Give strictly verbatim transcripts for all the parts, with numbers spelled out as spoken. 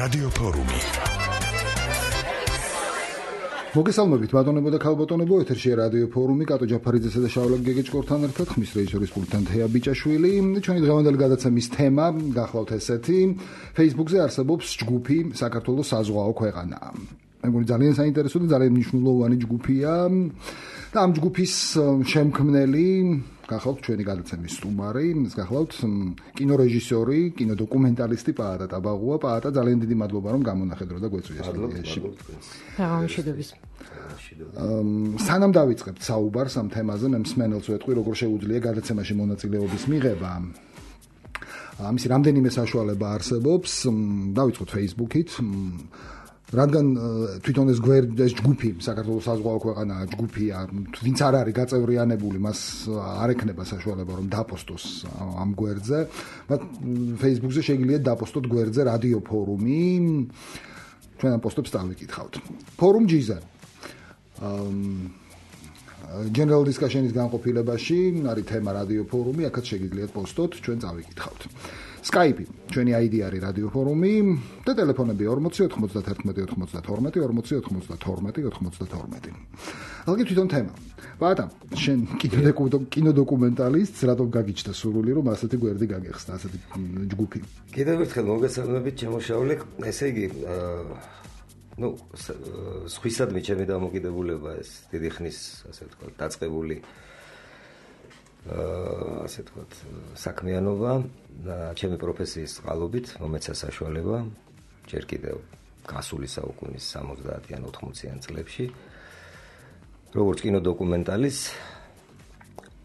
რადიო ფორუმი. მოგესალმებით ბატონებო და ქალბატონებო, ეთერშია რადიო ფორუმი, კატო ჯაფარიძესა და შავლაკ გეგეჭკორთან ერთად, ხმის რეჟისორის პულტთან თეა ბიჭაშვილი. ჩვენი დღევანდელი გადაცემის თემა გახლავთ ესეთი: Facebook-ზე არსებობს ჯგუფი საქართველოს საზღვაო ქვეყანა. მეგონი ძალიან საინტერესო და ძალიან მნიშვნელოვანი ჯგუფია და ამ ჯგუფის შემქმნელი გახლავთ ჩვენი გადაცემის სტუმარი, გახლავთ კინორეჟისორი, კინოდოკუმენტალისტი პაატა ტაბაღუა. პაატა, ძალიან დიდი მადლობა რომ გამონახედრო და გვეწვია სტუდიაში. გამომშვიდობის. სანამ დავიწყებთ საუბარს ამ თემაზე, მე მსმენელს ვეტყვი, როგორ შეუძლია გადაცემაში მონაწილეობის მიღება. ამისი რამდენიმე საშუალება არსებობს. დავიწყოთ Facebook-ით. რადგან თვითონ ეს გვერდი, ეს ჯგუფი საქართველოს საზღვაო ქვეყანაა, ჯგუფია, ვინც არ არის გაწევრიანებული, მას არ ექნება საშუალება რომ დაპოსტოს ამ გვერდზე. მათ Facebook-ზე შეგიძლიათ დაპოსტოთ გვერდზე რადიო ფორუმი. ჩვენ ამ პოსტებს დავიკითხავთ. ფორუმ ჯი-ზე. General discussion-ის განყოფილებაში არის თემა რადიო ფორუმი, აქაც შეგიძლიათ პოსტოთ, ჩვენ წავიკითხავთ. Skype, ჩვენი აი დი არის რადიო ფორუმი და ტელეფონები ორმოცი ოთხმოცდაერთმეტი ოცდათორმეტი ორმოცი ოთხმოცდათორმეტი ოცდათორმეტი. ალგი თვითონ თემა. ბატა, შენ კინოდოკუმენტალისტს, რატომ გაგიჩნდა სურვილი რომ ასეთი გვერდი გაგეხსნა, ასეთი ჯგუფი? კიდევ ერთხელ მოგესალმებით, შემოშავლე. ესე იგი, ну, სხვისადმი ჩემი დამოკიდებულება ეს დიდი ხნის, ასე ვთქვათ, დაწყებული ასე ვთქვათ, საქმიანობა და ჩემი პროფესიის წყალობით მომეცა საშუალება ჯერ კიდევ გასული საუკუნის სამოცდაათიან ოთხმოციან წლებში როგორც კინოდოკუმენტალის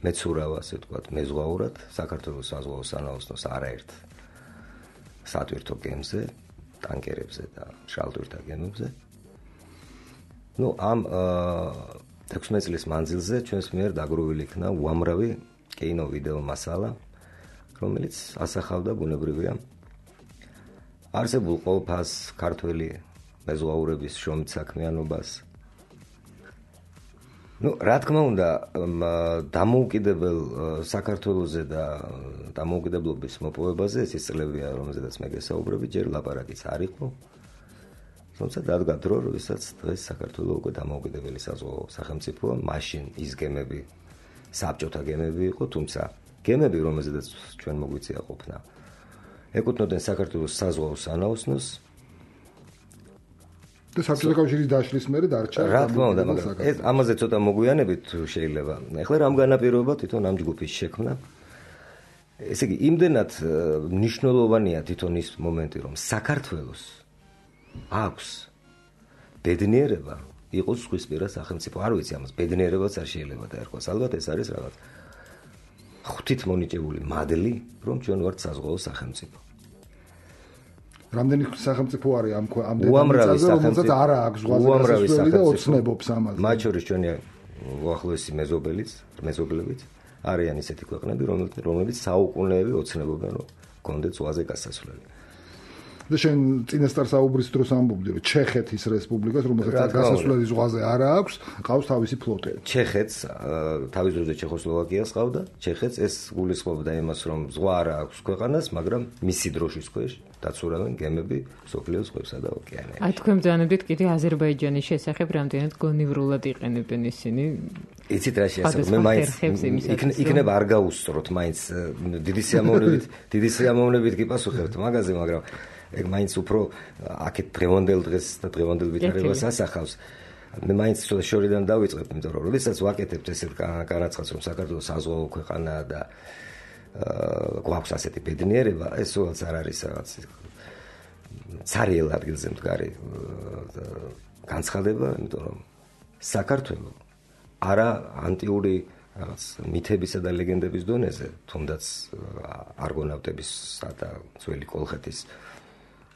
მეცურავ, ასე ვთქვათ, მეზღვაურად საქართველოს საზღვაო სანაოსნოს არაერთ სატვირთო გემზე, ტანკერებზე და შალტვირთა გემებზე. ну, ამ ექვსმეტ წლის მანძილზე ჩვენს მიერ დაგროვილი იქნა უამრავი კინო ვიდეო მასალა, რომელიც ასახავდა ბუნებრივია არსებულ ყოველფას ქართველი მეზღვაურების შრომით საქმიანობას. ну, რა თქმა უნდა, დამოუკიდებელ საქართველოზე და დამოუკიდებლობის მოპოვებაზე ეს ის წლებია, რომელზედაც მე გესაუბრები, ჯერ ლაპარაკიც არ იყო. თუმცა დადგა დრო, როდესაც დღეს საქართველოს უკვე დამოუკიდებელი საზღვაო სახელმწიფოა, მაშინ ის გემები საბჭოთა გემები იყო, თუმცა გემები, რომელზედაც ჩვენ მოგვიწია ყოფნა, ეკუთვნოდნენ საქართველოს საზღვაო სანაოსნოს და საბჭოთა კავშირის დაშლის მერე დარჩა. რა თქმა უნდა, მაგრამ ეს ამაზე ცოტა მოგვიანებით შეიძლება. ეხლა რამ განაპირობა თვითონ ამ ჯგუფის შექმნა? ესე იგი, იმდენად მნიშვნელოვანია თვითონ ის მომენტი, რომ საქართველოს აქვს ბედნიერება იყოს სხვისპირა სახელმწიფო. არ ვიცი ამას ბედნიერებაც არ შეიძლება დაერქვას. ალბათ ეს არის რაღაც ღვთით მონიჭებული მადლი, რომ ჩვენ ვართ საზღვაო სახელმწიფო. რამდენი სახელმწიფო არის ამ ამ უამრავი სახელმწიფო არა აქვს ზღვაზე გასასვლელი და ოცნებობს ამაზე. მათ შორის ჩვენი უახლოესი მეზობელიც, მეზობლებიც არიან ისეთი ქვეყნები, რომლებიც საუკუნეები ოცნებობენ, რომ გქონდეთ ზღვაზე გასასვლელი. და შენ წინასწარ საუბრის დროს ამბობდი, რომ ჩეხეთის რესპუბლიკას, რომელსაც გასასვლელი ზღვაზე არ აქვს, ყავს თავისი ფლოტები. ჩეხეთს თავის დროზე ჩეხოსლოვაკიას ყავდა. ჩეხეთს ეს გულისხმობდა იმას, რომ ზღვა არ აქვს ქვეყანას, მაგრამ მისი დროშის ქვეშ დაცურავენ გემები მსოფლიოს ზღვებსა და ოკეანეებში. აი თქვენ ბრძანებდით კიდე აზერბაიჯანის შესახებ რამდენად გონივრულად იყენებენ ისინი. იცით რა შეასრულე, მე მაინც იქნება არ გაუსწროთ, მაინც დიდი სიამოვნებით, დიდი სიამოვნებით გიპასუხებთ მაგაზე, მაგრამ ეგ მაინც უფრო აქეთ დღევანდელ დღეს და დღევანდელ ვითარებას ასახავს. მე მაინც ცოტა შორიდან დავიწყებ, იმიტომ რომ როდესაც ვაკეთებთ ესეთ განაცხადს, რომ საქართველოს საზღვაო ქვეყანაა და გვაქვს ასეთი ბედნიერება, ეს უბრალოდ არ არის რაღაც ცარიელ ადგილზე მდგარი განცხადება, იმიტომ რომ საქართველოს არა ანტიური რაღაც მითებისა და ლეგენდების დონეზე, თუნდაც არგონავტებისა და ძველი კოლხეთის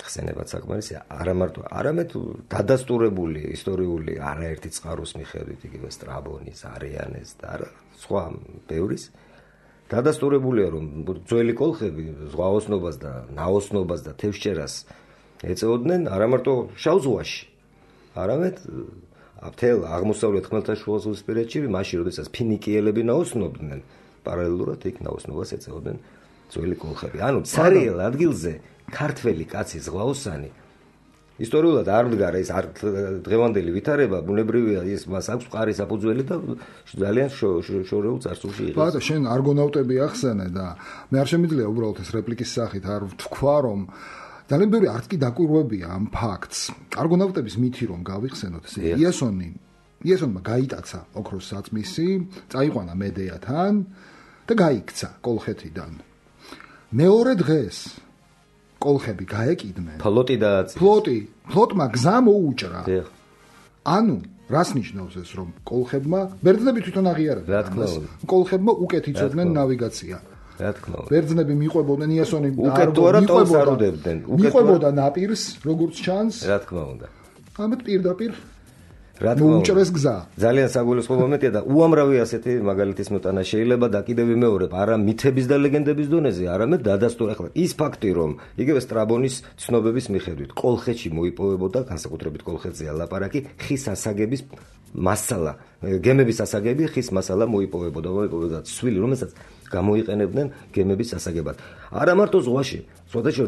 ხსენებაც საკმარისია, არა მარტო, არამედ დადასტურებული ისტორიული არაერთი წყაროს მიხედვით, იგივე სტრაბონის, არიანეს და სხვა ბევრის დადასტურებულია, რომ ძველი კოლხები ზღვაოსნობას და ნაოსნობას და თევზჭერას ეწეოდნენ არა მარტო შავ ზღვაში, არამედ მთელ აღმოსავლეთ ხმელთაშუაზღვისპირეთში, მაშინ როდესაც ფინიკიელები ნაოსნობდნენ, პარალელურად იქ ნაოსნობას ეწეოდნენ ძველი კოლხები. ანუ ცარიელ ადგილზე ქართველი კაცი ზღვაოსანი ისტორიულად არ მდგარა ის არ დღევანდელი ვითარება, ბუნებრივია ის მას აქვს მყარი საფუძველი და ძალიან შორეულ წარსულში იღებს. ბატონო, შენ არგონავტები ახსენე და მე არ შემიძლია უბრალოდ ეს რეპლიკის სახით არ ვთქვა, რომ ძალიან ბევრი არც კი დაკვირვებია ამ ფაქტს. არგონავტების მითი რომ გავიხსენოთ, იასონი, იასონმა გაიტაცა ოქროს საწმისი, წაიყვანა მედეათან და გაიქცა კოლხეთიდან. მეორე დღეს კოლხები გაეკიდნენ. ფლოტი დააწია. ფლოტი, ფლოტმა გზა მოუჭრა. ანუ რას ნიშნავს ეს, რომ კოლხებმა ბერძნები თვითონ აღიარებდნენ. რა თქმა უნდა. კოლხებმა უკეთ იცოდნენ ნავიგაცია. რა თქმა უნდა. ბერძნები მიყვებოდნენ იასონი უკეთ თუ არა თავს არ უდებდნენ. მიყვებოდა ნაპირს, როგორც ჩანს. რა თქმა უნდა. ამით პირდაპირ რა თქმა უნდა. მოუჭრეს გზა. ძალიან საგულისხმო მომენტია და უამრავი ასეთი მაგალითის მოტანა შეიძლება და კიდევ ვიმეორებ, არა მითების და ლეგენდების დონეზე, არამედ დადასტურე ახლა ის ფაქტი, რომ იგივე სტრაბონის ცნობების მიხედვით კოლხეთში მოიპოვებოდა, განსაკუთრებით კოლხეთზეა ლაპარაკი, ხის ასაგების მასალა, გემების ასაგები ხის მასალა მოიპოვებოდა, მოიპოვებოდა ცვილი, რომელსაც გამოიყენებდნენ გემების ასაგებად. არა მარტო ზღვაში, სხვადასხვა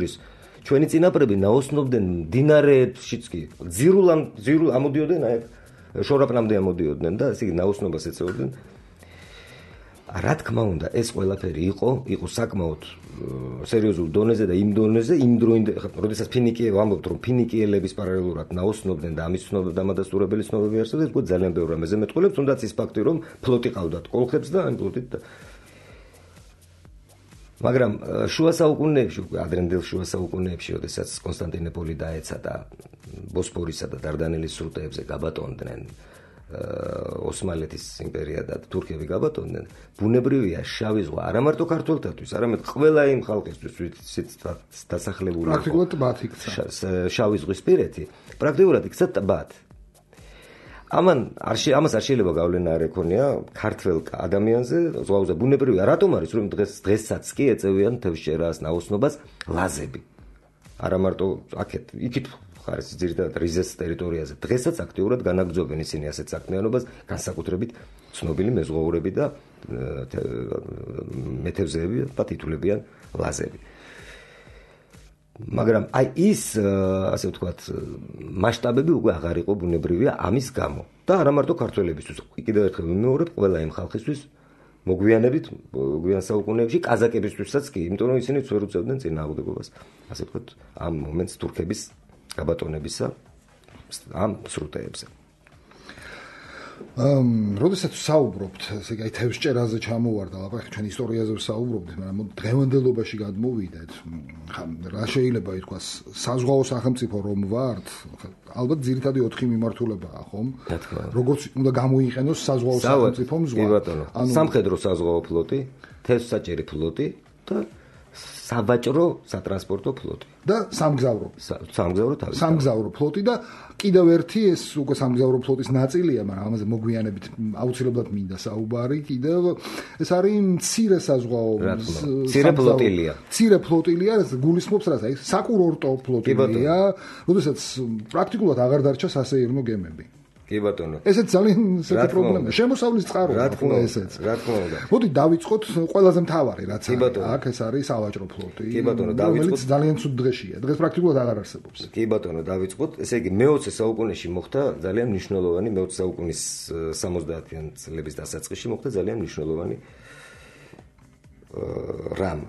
ჩვენი წინაპრები ნაოსნობდნენ მდინარეებშიც კი, ძირულამ ძირულ ამოდიოდნენ, აი შორაპნამდე ამოდიოდნენ და ესე იგი ნაოსნობას ეწეოდნენ. რა თქმა უნდა, ეს ყველაფერი იყო, იყო საკმაოდ სერიოზულ დონეზე და იმ დონეზე, იმ დროინდ, როდესაც ფინიკიელები ვამბობთ, რომ ფინიკიელების პარალელურად ნაოსნობდნენ და ამის ცნობები და ამადასტურებელი ცნობები არსებობს, უკვე ძალიან ბევრი რამეზე მეტყველებს, თუნდაც ის ფაქტი, რომ ფლოტი ყავდათ კოლხებს და ამ ფლოტით და მაგრამ შუა საუკუნეებში, ადრინდელ შუა საუკუნეებში, როდესაც კონსტანტინოპოლი დაეცა და ბოსფორისა და დარდანელის სრუტეებზე გაბატონდნენ ოსმალეთის იმპერია და თურქები გაბატონდნენ, ბუნებრივია შავი ზღვა არა მარტო ქართველთათვის, არამედ ყველა იმ ხალხისთვის, ვინც დასახლებული იყო პრაქტიკულად ტბად იქცა. შავი ზღვის პირეთი, პრაქტიკულად იქცა ტბად. ამან არ ამას არ შეიძლება გავლენა არ ეკონია ქართველ ადამიანზე, ზღვაზე ბუნებრივია, რატომ არის, რომ დღეს დღესაც კი ეწევიან თევზჭერას, ნაოსნობას ლაზები. არა მარტო აქეთ, იქით ხარეს ძირითადად რიზეს ტერიტორიაზე. დღესაც აქტიურად განაგრძობენ ისინი ასეთ საქმიანობას, განსაკუთრებით ცნობილი მეზღვაურები და მეთევზეები და თითულებიან ლაზები. მაგრამ აი ის ასე ვთქვათ მასშტაბები უკვე აღარ იყო ბუნებრივია ამის გამო და არა მარტო ქართველებისთვის, კიდევ ერთხელ ვიმეორებ, ყველა იმ ხალხისთვის მოგვიანებით გვიან საუკუნეებში კაზაკებისთვისაც კი, იმიტომ რომ ისინი ვერ უწევდნენ წინააღმდეგობას, ასე ვთქვათ, ამ მომენტს თურქების გაბატონებისა ამ სრუტეებზე. ამ როდესაც საუბრობთ, ესე იგი თევზჭერაზე ჩამოვარდა, ლაპარაკი ჩვენ ისტორიაზე ვსაუბრობთ, მაგრამ დღევანდელობაში გადმოვიდეთ. რა შეიძლება ითქვას, საზღვაო სახელმწიფო რომ ვართ, ალბათ ძირითადი ოთხი მიმართულებაა, ხომ? როგორც უნდა გამოიყენოს საზღვაო სახელმწიფომ ზღვა. ანუ სამხედრო საზღვაო ფლოტი, თევზსაჭერი ფლოტი და საბაჭრო სატრანსპორტო ფლოტი და სამგზავრო სამგზავრო თავის სამგზავრო ფლოტი და კიდევ ერთი ეს უკვე სამგზავრო ფლოტის ნაწილია, მაგრამ ამაზე მოგვიანებით აუცილებლად მინდა საუბარი, კიდევ ეს არის მცირე საზღვაო მცირე ფლოტილია მცირე ფლოტილია, ეს გულისხმობს რას, აი საკურორტო ფლოტილია, როდესაც პრაქტიკულად აღარ დარჩა სასეირნო გემები. კი ბატონო. ესეც ძალიან ისეთი პრობლემაა. შემოსავლის წყაროა ხო ესეც. რა თქმა უნდა. მოდი დავიწყოთ ყველაზე მთავარი რაც არის. აქ ეს არის სავაჭრო ფლოტი. კი ბატონო, დავიწყოთ. ძალიან ცუდ დღეშია. დღეს პრაქტიკულად აღარ არსებობს. კი ბატონო, დავიწყოთ. ესე იგი მეოცე საუკუნეში მოხდა ძალიან მნიშვნელოვანი, მეოცე საუკუნის სამოცდაათიან წლების დასაწყისში მოხდა ძალიან მნიშვნელოვანი რამ.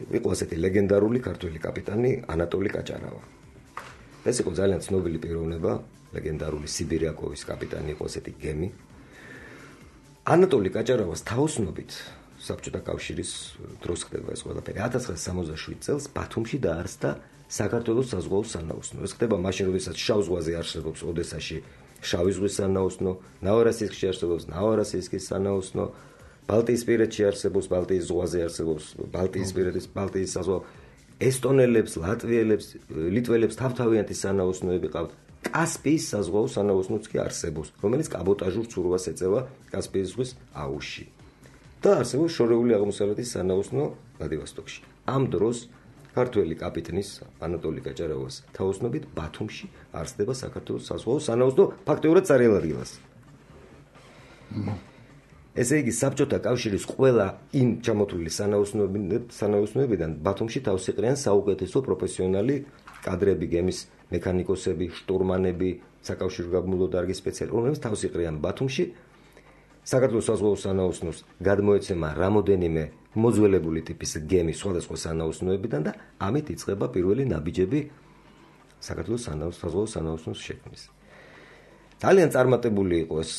იყო ასეთი ლეგენდარული ქართველი კაპიტანი ანატოლი კაჭარავა. ეს იყო ძალიან ცნობილი პიროვნება. ლეგენდარული სიბირიაკოვის კაპიტანი იყო ესეთი გემი. ანატოლი კაჭარავას თაოსნობით საბჭოთა კავშირის დროს ხდება ეს ყველაფერი. ათას ცხრაასი სამოცდაშვიდ წელს ბათუმში დაარსდა საქართველოს საზღვაო სანაოსნო. ეს ხდება მაშინ, როდესაც შავ ზღვაზე არსებობს ოდესაში შავი ზღვის სანაოსნო, ნავარასისკში არსებობს ნავარასისკის სანაოსნო, ბალტიისპირეთში არსებობს ბალტიის ზღვაზე არსებობს ბალტიისპირეთის ბალტიის საზღვაო. ესტონელებს, ლატვიელებს, ლიტველებს თავთავიანთი სანაოსნოები ყავთ. კასპიის საზღვაო სანაოსნოც კი არსებობს, რომელიც კაბოტაჟურ ცურვას ეწევა კასპიის ზღვის აუზში. და არსებობს შორეული აღმოსავლეთის სანაოსნო ვლადივოსტოკში. ამ დროს ქართველი კაპიტნის ანატოლი კაჭარავას თაოსნობით ბათუმში არსდება საქართველოს საზღვაო სანაოსნო ფაქტიურად წარიელ ადგილას. ესე იგი საბჭოთა კავშირის ყველა იმ ჩამოთვლილი სანაოსნოებიდან ბათუმში თავს იყრიან საუკეთესო პროფესიონალი კადრები გემის მექანიკოსები, შტურმანები, საკავშირო გაბმულო დარგის სპეციალისტები, რომლებიც თავს იყრიან ბათუმში. საქართველოს საზღვაო სანაოსნოს გადმოეცემა რამოდენიმე მოძველებული ტიპის გემი სხვადასხვა სანაოსნოებიდან და ამით იწყება პირველი ნაბიჯები საქართველოს საზღვაო სანაოსნოს შექმნის. ძალიან წარმატებული იყო ეს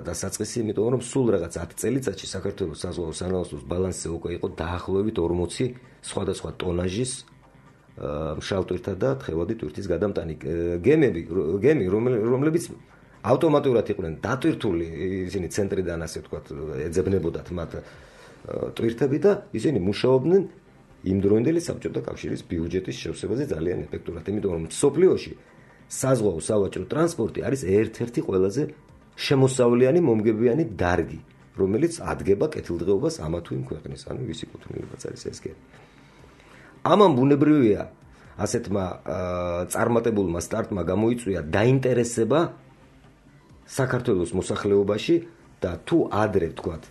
დასაწყისი, იმიტომ რომ სულ რაღაც ათი წელიწადში საქართველოს საზღვაო სანაოსნოს ბალანსზე უკვე იყო დაახლოებით ორმოცი სხვადასხვა ტონაჟის მშრალ ტვირთა და თხევადი ტვირთის გადამტანი გემები, გემი, რომლებიც ავტომატურად იყვნენ დატვირთული, ისინი ცენტრიდან ასე ვთქვათ, ეძებნებოდათ მათ ტვირთები და ისინი მუშაობდნენ იმდროინდელი საბჭოთა კავშირის ბიუჯეტის შევსებაზე ძალიან ეფექტურად, იმიტომ რომ მსოფლიოში საზღვაო სავაჭრო ტრანსპორტი არის ერთ-ერთი ყველაზე შემოსავლიანი მომგებიანი დარგი, რომელიც ადგენა კეთილდღეობას ამა თუ იმ ქვეყნის, ანუ ვისი კუთვნილებაც არის ეს გემი. ამან ბუნებრივია ასეთმა წარმატებულმა სტარტმა გამოიწვია დაინტერესება საქართველოს მოსახლეობაში და თუ ადრე ვთქვათ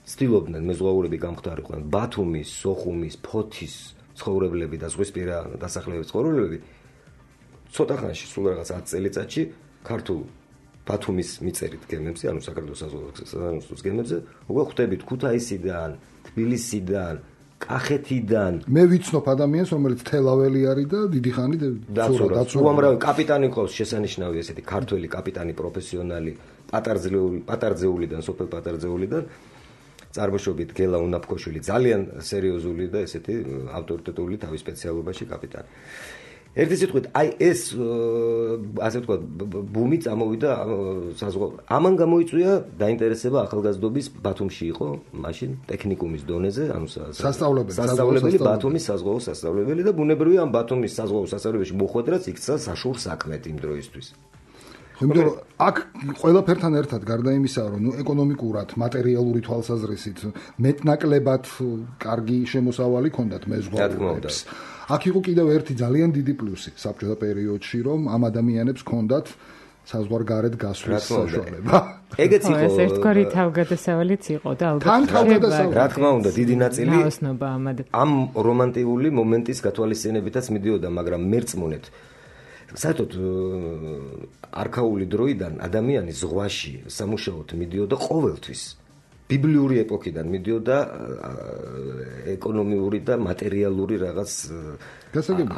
ცდილობდნენ მეზღვაურები გამხდარიყვნენ ბათუმის, სოხუმის, ფოთის ცხოვრებლები და ზღვისპირა დასახლებების ცხოვრებლები ცოტა ხანში სულ რაღაც ათი წელიწადში ქართულ ბათუმის მიწერით გემებზე, ანუ საქართველოს საზღვაო გემებზე, უკვე ხვდებით ქუთაისიდან, თბილისიდან, კახეთიდან. მე ვიცნობ ადამიანს, რომელიც თელაველი არის და დიდი ხანი დაცურა. უამრავი კაპიტანი ყავს შესანიშნავი ესეთი ქართველი კაპიტანი პროფესიონალი, პატარძეული, პატარძეულიდან, სოფელ პატარძეულიდან. წარმოშობით გელა უნაფქოშვილი, ძალიან სერიოზული და ესეთი ავტორიტეტული თავის სპეციალობაში კაპიტანი. ერთი სიტყვით, აი ეს ასე ვთქვათ, ბუმი წამოვიდა საზღვაო. ამან გამოიწვია დაინტერესება ახალგაზრდობის ბათუმში იყო, მაშინ ტექნიკუმის დონეზე, ანუ სასწავლებელი, სასწავლებელი ბათუმის საზღვაო სასწავლებელი და ბუნებრივია ამ ბათუმის საზღვაო სასწავლებელში მოხვედრაც იქცა საშურ საქმეთ იმ დროისთვის. იმიტომ რომ აქ ყველაფერთან ერთად გარდა იმისა, რომ ნუ ეკონომიკურად, მატერიალური თვალსაზრისით მეტნაკლებად კარგი შემოსავალი ჰქონდათ მეზღვაურებს. აქ იყო კიდევ ერთი ძალიან დიდი პლუსი საბჭოთა პერიოდში, რომ ამ ადამიანებს ჰქონდათ საზღვარგარეთ გასვლის საშუალება. ეგეც იყო. ეს ერთგვარი თავგადასავალიც იყო და ალბათ თან თავგადასავალი. რა თქმა უნდა, დიდი ნაწილი ნაოსნობა ამად. ამ რომანტიკული მომენტის გათვალისწინებითაც მიდიოდა, მაგრამ მერწმუნეთ საერთოდ არქაული დროიდან ადამიანი ზღვაში სამუშაოდ მიდიოდა ყოველთვის. ბიბლიური ეპოქიდან მიდიოდა ეკონომიური და მატერიალური რაღაც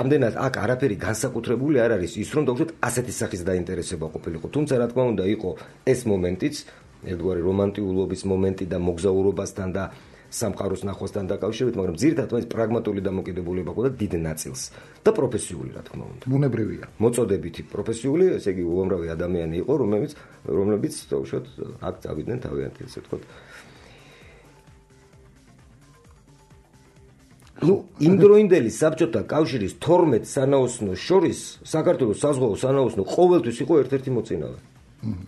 ამდენად აქ არაფერი განსაკუთრებული არ არის ის რომ დავუშვათ ასეთი სახის დაინტერესება ყოფილიყო. თუმცა რა თქმა უნდა იყო ეს მომენტიც, ერთგვარი რომანტიულობის მომენტი და მოგზაურობასთან და სამყაროს ნახვასთან დაკავშირებით, მაგრამ ძირითადად ეს პრაგმატული დამოკიდებულება ყოდა დიდ ნაწილს და პროფესიული რა თქმა უნდა. ბუნებრივია. მოწოდებითი პროფესიული, ესე იგი უამრავი ადამიანი იყო, რომლებიც რომლებიც დავუშვათ აქ წავიდნენ თავიანთი ესე ვთქვათ. ნუ იმდროინდელი საბჭოთა კავშირის თორმეტ სანაოსნოს შორის საქართველოს საზღვაო სანაოსნო ყოველთვის იყო ერთ-ერთი მოწინავე.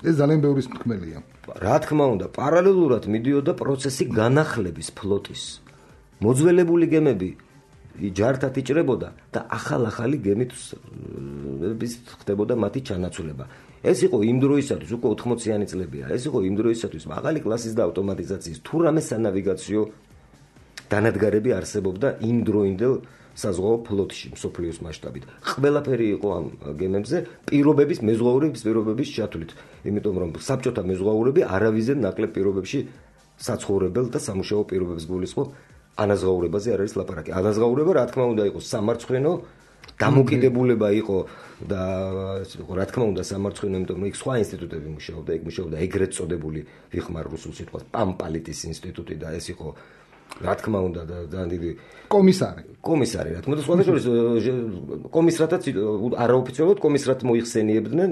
ეს ძალიან ბევრი თქმელია. რა თქმა უნდა, პარალელურად მიდიოდა პროცესი განახლების ფლოტის. მოძველებული გემები ჯართად იჭრებოდა და ახალ-ახალი გემით ხდებოდა მათი ჩანაცვლება. ეს იყო იმ დროისათვის, უკვე ოთხმოციანი წლებია, ეს იყო იმ დროისათვის მაღალი კლასის და ავტომატიზაციის თუ რამე სანავიგაციო დანადგარები არსებობდა იმ დროინდელ საზღვაო ფლოტში მსოფლიოს მასშტაბით. ყველაფერი იყო ამ გემებზე პირობების, მეზღვაურების პირობების ჩათვლით. იმიტომ რომ საბჭოთა მეზღვაურები არავისზე ნაკლებ პირობებში საცხოვრებელ და სამუშაო პირობებს გულისხმობ, ანაზღაურებაზე არ არის ლაპარაკი. ანაზღაურება რა თქმა უნდა იყო სამარცხვინო დამოკიდებულება იყო და რა თქმა უნდა სამარცხვინო, იმიტომ რომ იქ სხვა ინსტიტუტები მუშაობდა, იქ მუშაობდა ეგრეთ წოდებული ვიხმარ რუსულ სიტყვას პამპალიტის ინსტიტუტი და ეს იყო რა თქმა უნდა და ძალიან დიდი კომისარი. კომისარი, რა თქმა უნდა, სხვადასხვა კომისრათაც არაოფიციალურად კომისრად მოიხსენიებდნენ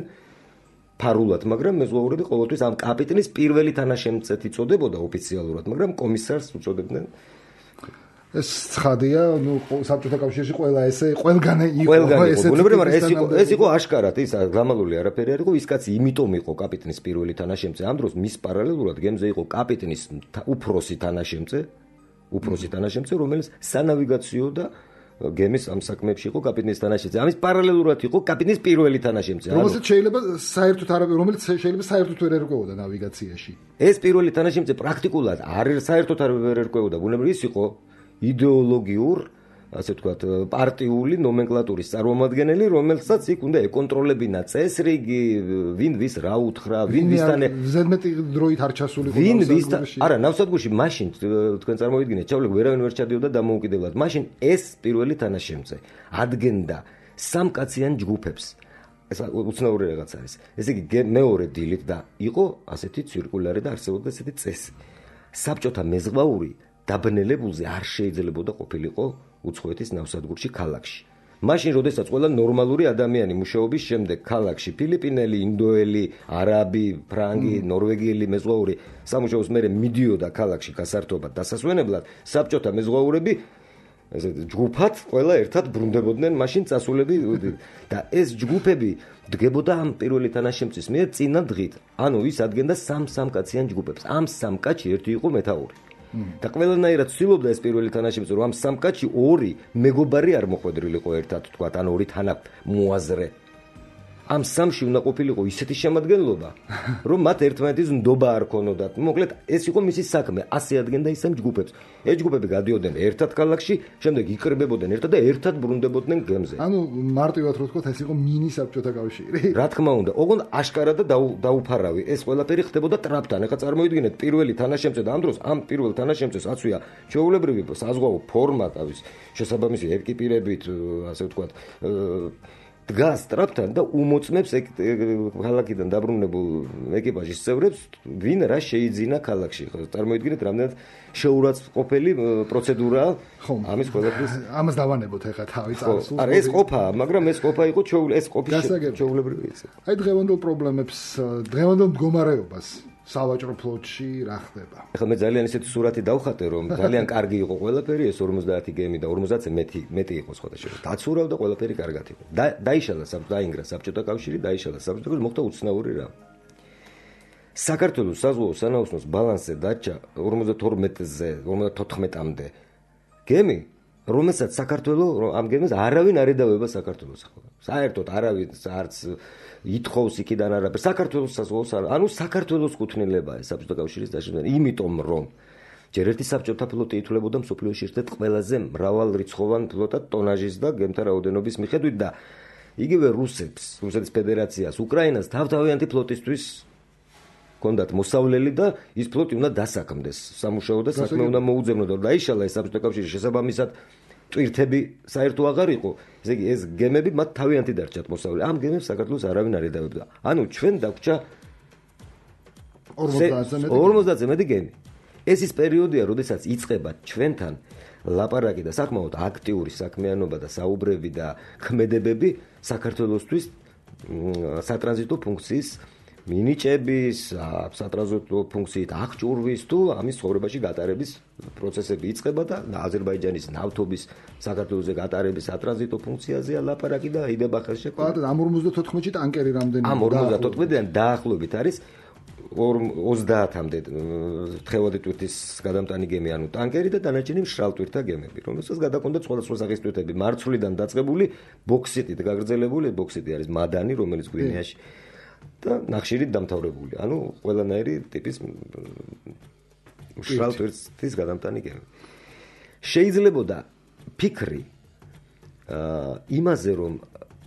ფარულად, მაგრამ მეზღვაურები ყოველთვის ამ კაპიტნის პირველი თანაშემწეთი წოდებოდა ოფიციალურად, მაგრამ კომისარს უწოდებდნენ. ეს ცხადია, ნუ საბჭოთა კავშირში ყველა ესე ყველგან იყო ესე. ბუნებრივია, მაგრამ ეს იყო ეს იყო აშკარად, ის გამალული არაფერი არ იყო, ის კაცი იმიტომ იყო კაპიტნის პირველი თანაშემწე. ამ დროს მის პარალელურად გემზე იყო კაპიტნის უფროსი თანაშემწე, უფროსი თანაშემწე, რომელიც სანავიგაციო და გემის ამ საქმეებში იყო კაპიტნის თანაშემწე. ამის პარალელურად იყო კაპიტნის პირველი თანაშემწე. რომელიც შეიძლება საერთოდ არ რომელიც შეიძლება საერთოდ ვერ ერკვეოდა ნავიგაციაში. ეს პირველი თანაშემწე პრაქტიკულად არ საერთოდ არ ვერ ერკვეოდა. ბუნებრივია ის იყო იდეოლოგიურ ასე ვთქვათ, პარტიული ნომენკლატურის წარმომადგენელი, რომელსაც იქ უნდა ეკონტროლებინა წესრიგი, ვინ ვის რა უთხრა, ვინ ვისთან ზედმეტი დროით არ ჩასულიყო ვინ ვისთან არა, ნავსადგურში მაშინ თქვენ წარმოვიდგინეთ, ჩავლეკ ვერავინ ვერ ჩადიოდა დამოუკიდებლად. მაშინ ეს პირველი თანაშემწე ადგენდა სამკაციან ჯგუფებს. ეს უცნაური რაღაც არის. ესე იგი მეორე დილით და იყო ასეთი ცირკულარი და არსებობდა ასეთი წესი. საბჭოთა მეზღვაური დაბნელებულზე არ შეიძლებოდა ყოფილიყო უცხოეთის ნავსადგურში ქალაქში. მაშინ, როდესაც ყველა ნორმალური ადამიანი მუშაობის შემდეგ ქალაქში ფილიპინელი, ინდოელი, არაბი, ფრანგი, ნორვეგიელი მეზღვაური სამუშაოს მერე მიდიოდა ქალაქში გასართობად დასასვენებლად, საბჭოთა მეზღვაურები ესე ჯგუფად ყველა ერთად ბრუნდებოდნენ მაშინ წასულები და ეს ჯგუფები დგებოდა ამ პირველი თანაშემწის მიერ წინა დღით. ანუ ის ადგენდა სამ-სამ კაციან ჯგუფებს. ამ სამ კაცში ერთი იყო მეთაური. და ყველანაირად ცდილობდა ეს პირველი თანაშემწე რომ ამ სამ კაცში ორი მეგობარი არ მოხვედრილიყო ერთად, თქვათ, ან ორი თანამოაზრე. ამ სამში უნდა ყოფილიყო ისეთი შემადგენლობა, რომ მათ ერთმანეთის ნდობა არ ქონოდათ. მოკლედ, ეს იყო მისი საქმე, ასე ადგენდა ის ამ ჯგუფებს. ეს ჯგუფები გადიოდნენ ერთად ქალაქში, შემდეგ იკრიბებოდნენ ერთად და ერთად ბრუნდებოდნენ გემზე. ანუ მარტივად რო ვთქვათ, ეს იყო მინი საბჭოთა კავშირი. რა თქმა უნდა, ოღონდ აშკარა და დაუფარავი. ეს ყველაფერი ხდებოდა ტრაპთან. ეხლა წარმოიდგინეთ, პირველი თანაშემწე და ამ დროს ამ პირველ თანაშემწეს აწვია ჩვეულებრივი საზღვაო ფორმა თავის შესაბამისი ეკიპირებით, ასე ვთქვათ, დგას ტრაპთან და უმოწმებს ქალაქიდან დაბრუნებულ ეკიპაჟის წევრებს, ვინ რა შეიძინა ქალაქში. წარმოიდგინეთ, რამდენად შეურაცხყოფელი პროცედურაა ამის ყველაფრის. ამას დავანებოთ ეხლა თავი წარსულს. არა, ეს ყოფა, მაგრამ ეს ყოფა იყო ეს ყოფის ჩვეულებრივი ისე. აი დღევანდელ პრობლემებს, დღევანდელ მდგომარეობას სავაჭრო ფლოტში რა ხდება? ეხლა მე ძალიან ისეთი სურათი დავხატე, რომ ძალიან კარგი იყო ყველაფერი, ეს ორმოცდაათი გემი და ორმოცდაათზე მეტი მეტი იყო სხვადასხვა. დაცურავდა ყველაფერი კარგად იყო. დაიშალა დაინგრა საბჭოთა კავშირი, დაიშალა საბჭოთა კავშირი, მოხდა უცნაური რა. საქართველოს საზღვაო სანაოსნოს ბალანსზე დარჩა ორმოცდათორმეტზე, ორმოცდათოთხმეტამდე გემი, რომელსაც საქართველოს ამ გემს არავინ არ ედავება საქართველოს ახლა. საერთოდ არავინ არც ითხოვს იქიდან არაფერს. საქართველოს საზღვაოს ანუ საქართველოს კუთვნილებაა საბჭოთა კავშირის დაშინება, იმიტომ რომ ჯერ ერთი საბჭოთა ფლოტი ითვლებოდა მსოფლიოში ერთ-ერთ ყველაზე მრავალრიცხოვან ფლოტად ტონაჟის და გემთა რაოდენობის მიხედვით და იგივე რუსებს, რუსეთის ფედერაციას, უკრაინას თავთავიანთი ფლოტისთვის კონდათ მოსავლელი და ის ფლოტი უნდა დასაქმდეს. სამუშაო და საქმე უნდა მოუძებნოდა. დაიშალა ეს საბჭოთა კავშირი შესაბამისად ტვირთები საერთო აღარ იყო. ესე იგი ეს გემები მათ თავიანთი დარჩათ მოსავლელი. ამ გემებს საქართველოს არავინ არ ედავებდა. ანუ ჩვენ დაგვრჩა ორმოცდაათზე მეტი გემი. ეს ის პერიოდია, როდესაც იწყება ჩვენთან ლაპარაკი და საკმაოდ აქტიური საქმიანობა და საუბრები და ქმედებები საქართველოსთვის სატრანზიტო ფუნქციის მინიჭების, სატრანზიტო ფუნქციით აღჭურვის თუ ამის ცხოვრებაში გატარების პროცესები იწყება და აზერბაიჯანის ნავთობის საქართველოზე გატარების სატრანზიტო ფუნქციაზეა ლაპარაკი და იდება ხელშეკრულება. ბატონო, ამ ორმოცდათოთხმეტში ტანკერი რამდენი? ამ ორმოცდათოთხმეტიდან დაახლოებით არის ოცდაათამდე თხევადი ტვირთის გადამტანი გემი, ანუ ტანკერი და დანარჩენი მშრალ ტვირთა გემები, რომელსაც გადაკონდათ სხვადასხვა სახის ტვირთები, მარცვლიდან დაწყებული ბოქსიტით გაგრძელებული, ბოქსიტი არის მადანი, რომელიც გვინეაში და ნახშირით დამთავრებული. ანუ ყველანაირი ტიპის მშრალ ტვირთის გადამტანი გემი. შეიძლებოდა ფიქრი იმაზე, რომ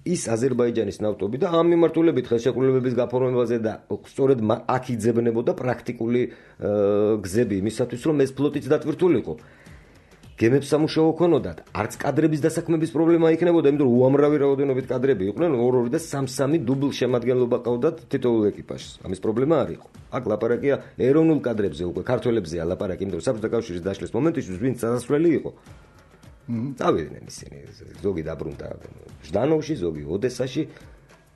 ის აზერბაიჯანის ნავთობი და ამ მიმართულებით ხელშეკრულებების გაფორმებაზე და სწორედ აქ იძებნებოდა პრაქტიკული გზები იმისათვის, რომ ეს ფლოტიც დატვირთულიყო. გემებს სამუშაო ქონოდათ, არც კადრების დასაქმების პრობლემა იქნებოდა, იმიტომ რომ უამრავი რაოდენობით კადრები იყვნენ, ორ-ორი და სამ-სამი დუბლ შემადგენლობა ყავდათ თითოეულ ეკიპაჟს. ამის პრობლემა არ იყო. აქ ლაპარაკია ეროვნულ კადრებზე, უკვე ქართველებზეა ლაპარაკი, იმიტომ რომ საბჭოთა კავშირის დაშლის მომენტისთვის ვინც დასასვლელი იყო. წავიდნენ ისინი, ზოგი დაბრუნდა ჟდანოვში, ზოგი ოდესაში,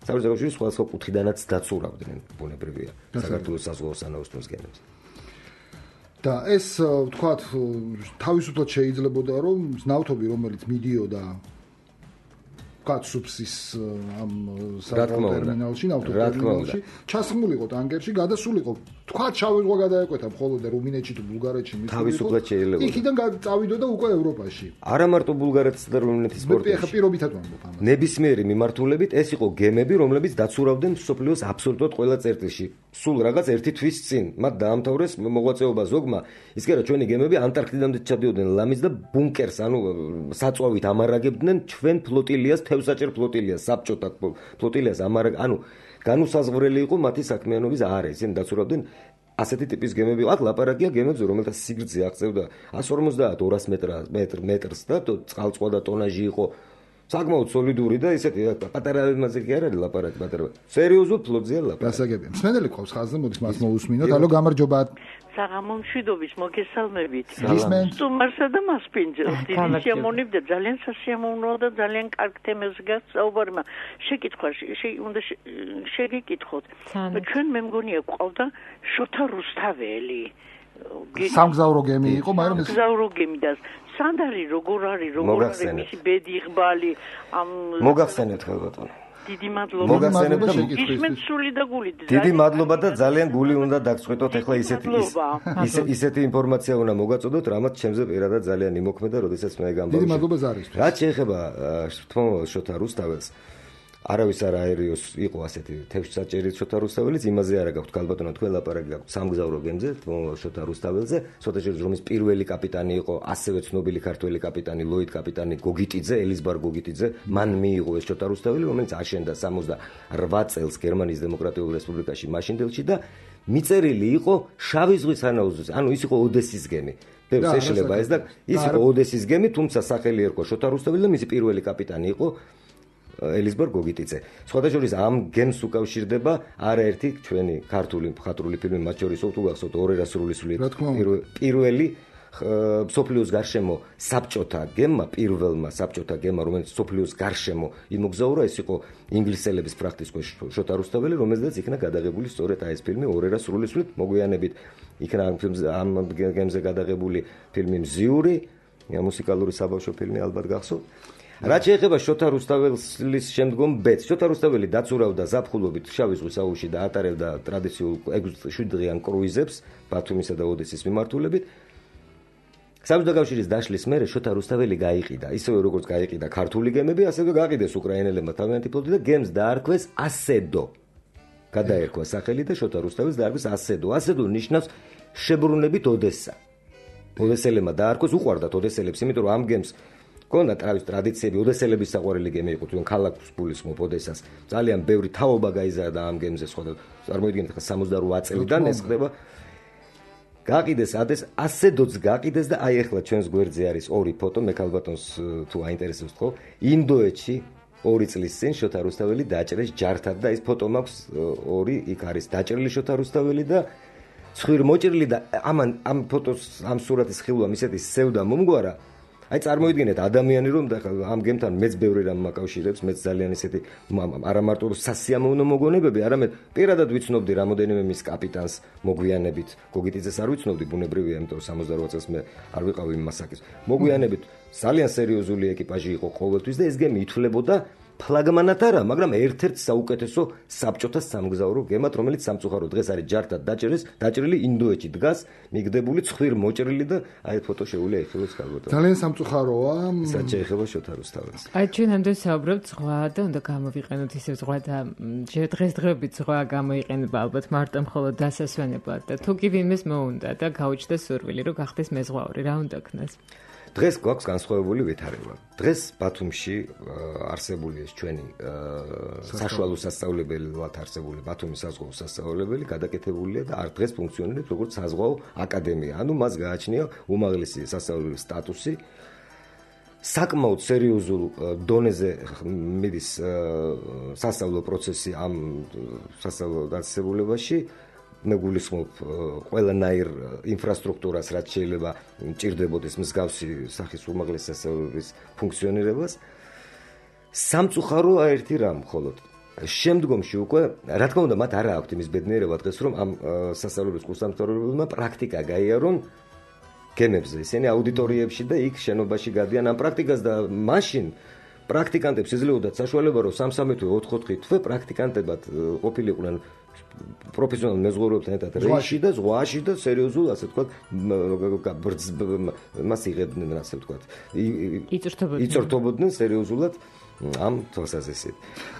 საბჭოთა კავშირის სხვადასხვა კუთხიდანაც დაცურავდნენ, ბუნებრივია, საქართველოს საზღვაო სანაოსნოს გემებს. და ეს ვთქვათ, თავისუფლად შეიძლებოდა, რომ ნავთობი, რომელიც მიდიოდა კაცსუბსის ამ საზღვაო ტერმინალში, ნავთობის ტერმინალში, ჩასხმულიყო ტანკერში, გადასულიყო. თქვათ, შავი ზღვა გადაეკვეთა მხოლოდ რუმინეთში თუ ბულგარეთში მისულიყო. თავისუფლად შეიძლება. იქიდან წავიდოდა უკვე ევროპაში. არა მარტო ბულგარეთის და რუმინეთის პორტებში. მე ხა პირობითად ვამბობ ამას. ნებისმიერი მიმართულებით ეს იყო გემები, რომლებიც დაცურავდნენ მსოფლიოს აბსოლუტურად ყველა წერტილში. სულ რაღაც ერთი თვის წინ მათ დაამთავრეს მოღვაწეობა ზოგმა ის კი არა ჩვენი გემები ანტარქტიდამდე ჩადიოდნენ ლამის და ბუნკერს ანუ საწვავით ამარაგებდნენ ჩვენ ფლოტილიას თევზაჭერ ფლოტილიას საბჭოთა ფლოტილიას ამარაგ ანუ განუსაზღვრელი იყო მათი საქმიანობის არე ისინი დაცურავდნენ ასეთი ტიპის გემები აქ ლაპარაკია გემებზე რომელთა სიგრძე აღწევდა εκατს ორმოცდაათ ორას მეტრს და წყალწვა და ტონაჟი იყო საკმაოდ სოლიდური და ისეთი პატარა იმაზე კი არ არის ლაპარაკი პატარა სერიოზულ ფლოტზეა ლაპარაკი გასაგებია მსმენელი ყავს ხაზზე მოდის მას მოусმინოთ ალო გამარჯობა საღამო მშვიდობის მოგესალმებით გისმენთ სტუმარსა და მასპინძელს დიდი შემონიბდა ძალიან სასიამოვნოა და ძალიან კარგ თემაზე გასაუბარმა შეკითხვა უნდა შეგიკითხოთ ჩვენ მე მგონია გვყავდა შოთა რუსთაველი სამგზავრო გემი იყო მაგრამ ეს სამგზავრო გემი და სანდარი როგორ არის როგორ არის მისი ბედი ღბალი ამ მოგახსენეთ ხალბატონო დიდი მადლობა მოგახსენებთ და ისმენთ სული და გულით დიდი მადლობა და ძალიან გული უნდა დაგწყვეტოთ ახლა ისეთი ისეთი ინფორმაცია უნდა მოგაწოდოთ რამაც ჩემზე პირადად ძალიან იმოქმედა როდესაც მე გამბავშვი დიდი მადლობა ზარისთვის რაც შეეხება თმომავალ შოთა რუსთაველს არავის არ აერიოს იყო ასეთი თევზსაჭერი შოთა რუსთაველის იმაზე არა გაქვთ ქალბატონო თქვენ ლაპარაკი გაქვთ სამგზავრო გემზე თმომავალ შოთა რუსთაველზე შოთა შორის რომის პირველი კაპიტანი იყო ასევე ცნობილი ქართველი კაპიტანი ლოიდ კაპიტანი გოგიტიძე ელიზბარ გოგიტიძე მან მიიღო ეს შოთა რუსთაველი რომელიც აშენდა სამოცდაორ წელს გერმანიის დემოკრატიულ რესპუბლიკაში მაშინდელში და მიწერილი იყო შავი ზღვის სანაოსნოზე ანუ ის იყო ოდესის გემი ბევრს ეშლება ეს და ის იყო ოდესის გემი თუმცა სახელი ერქვა შოთა რუსთაველი და მისი პირველი კაპიტანი იყო ელიზბარ გოგიტიძე. სხვათა შორის ამ გემს უკავშირდება არაერთი ჩვენი ქართული მხატვრული ფილმი, მათ შორის თუ გახსოვთ ორერა სრულისული პირველი სოფლიოს გარშემო საბჭოთა გემმა, პირველმა საბჭოთა გემმა, რომელიც სოფლიოს გარშემო იმოგზაურა, ეს იყო ინგლისელების პრაქტიკულ შოთა რუსთაველი, რომელზეც იქნა გადაღებული სწორედ აი ეს ფილმი ორერა სრულისული, მოგვიანებით იქნა ამ გემზე გადაღებული ფილმი მზიური, მუსიკალური საბავშვო ფილმი ალბათ გახსოვთ. რაც შეეხება შოთა რუსთაველის შემდგომ ბედს, შოთა რუსთაველი დაცურავდა ზაფხულობით შავი ზღვის აუზში და ატარებდა ტრადიციულ შვიდ დღიან კრუიზებს ბათუმისა და ოდესის მიმართულებით. საბჭოთა კავშირის დაშლის მერე შოთა რუსთაველი გაიყიდა, ისევე როგორც გაიყიდა ქართული გემები, ასევე გაყიდეს უკრაინელებმა თავიანთი ფლოტი და გემს დაარქვეს ასედო. გადაერქვა სახელი და შოთა რუსთაველს დაარქვეს ასედო. ასედო ნიშნავს შებრუნებით ოდესა. ოდესელებმა დაარქვეს, უყვარდათ ოდესელებს, იმიტომ რომ ამ გემს კონდა ტრავის ტრადიციები, ოდესელების საყვარელი გემი იყო, თვითონ ქალაქს გულისხმობ ოდესას. ძალიან ბევრი თაობა გაიზარდა ამ გემზე, სხვა წარმოიდგინეთ ხა სამოცდაორ წელიდან ეს ხდება. გაყიდეს ადეს ასედოც გაყიდეს და აი ახლა ჩვენს გვერდზე არის ორი ფოტო, მე ქალბატონს თუ აინტერესებს თქო, ინდოეთში ორი წლის წინ შოთა რუსთაველი დაჭრეს ჯართად და ეს ფოტო მაქვს ორი, იქ არის დაჭრილი შოთა რუსთაველი და ცხვირ მოჭრილი და ამან ამ ფოტოს ამ სურათის ხილვამ ისეთი სევდა მომგვარა აი წარმოიდგინეთ ადამიანი რომ ამ გემთან მეც ბევრი რამ მაკავშირებს, მეც ძალიან ისეთი არა მარტო სასიამოვნო მოგონებები, არამედ პირადად ვიცნობდი რამოდენიმე მის კაპიტანს მოგვიანებით. გოგიტიძეს არ ვიცნობდი, ბუნებრივია, იმიტომ სამოცდაორ წელს მე არ ვიყავი მასაკის. მოგვიანებით ძალიან სერიოზული ეკიპაჟი იყო ყოველთვის და ეს გემი ითვლებოდა ფლაგმანად არა, მაგრამ ერთ-ერთ საუკეთესო საბჭოთა სამგზავრო გემად, რომელიც სამწუხაროდ დღეს არის ჯართად დაჭრეს, დაჭრილი ინდოეთში დგას, მიგდებული ცხვირ მოჭრილი და აი ფოტო შეუძლია იხილოს ქალბატონს. ძალიან სამწუხაროა. ისაც შეეხება შოთა რუსთაველს. აი ჩვენ ამდენ საუბრობთ ზღვა და უნდა გამოვიყენოთ ისე ზღვა და დღესდღეობით ზღვა გამოიყენება ალბათ მარტო მხოლოდ დასასვენებლად და თუ კი ვინმეს მოუნდა და გაუჩნდეს სურვილი რომ გახდეს მეზღვაური, რა უნდა ქნას? დღეს გვაქვს განსხვავებული ვითარება. დღეს ბათუმში არსებული ეს ჩვენი საშუალო სასწავლებელად არსებული ბათუმის საზღვაო სასწავლებელი გადაკეთებულია და არ დღეს ფუნქციონირებს როგორც საზღვაო აკადემია. ანუ მას გააჩნია უმაღლესი სასწავლებლის სტატუსი. საკმაოდ სერიოზულ დონეზე მიდის სასწავლო პროცესი ამ სასწავლო დაწესებულებაში. მე გულისხმობ ყველანაირ ინფრასტრუქტურას, რაც შეიძლება მჭირდებოდეს მსგავსი სახის უმაღლესი სასწავლებლის ფუნქციონირებას. სამწუხაროა ერთი რამ მხოლოდ. შემდგომში უკვე, რა თქმა უნდა, მათ არ აქვთ იმის ბედნიერება დღეს, რომ ამ სასწავლებლის კურსდამთავრებლებმა პრაქტიკა გაიარონ გემებზე, ისინი აუდიტორიებში და იქ შენობაში გადიან ამ პრაქტიკას და მაშინ პრაქტიკანტებს ეძლებოდათ საშუალება, რომ სამსამე თვე ოთხ-ოთხი თვე პრაქტიკანტებად ყოფილიყვნენ პროფესიონალ მეზღვაურებთან ერთად რეისში და ზღვაში და სერიოზულ, ასე ვთქვათ, მას იღებდნენ, ასე ვთქვათ. იწვრთობოდნენ სერიოზულად ამ თვალსაზრისით.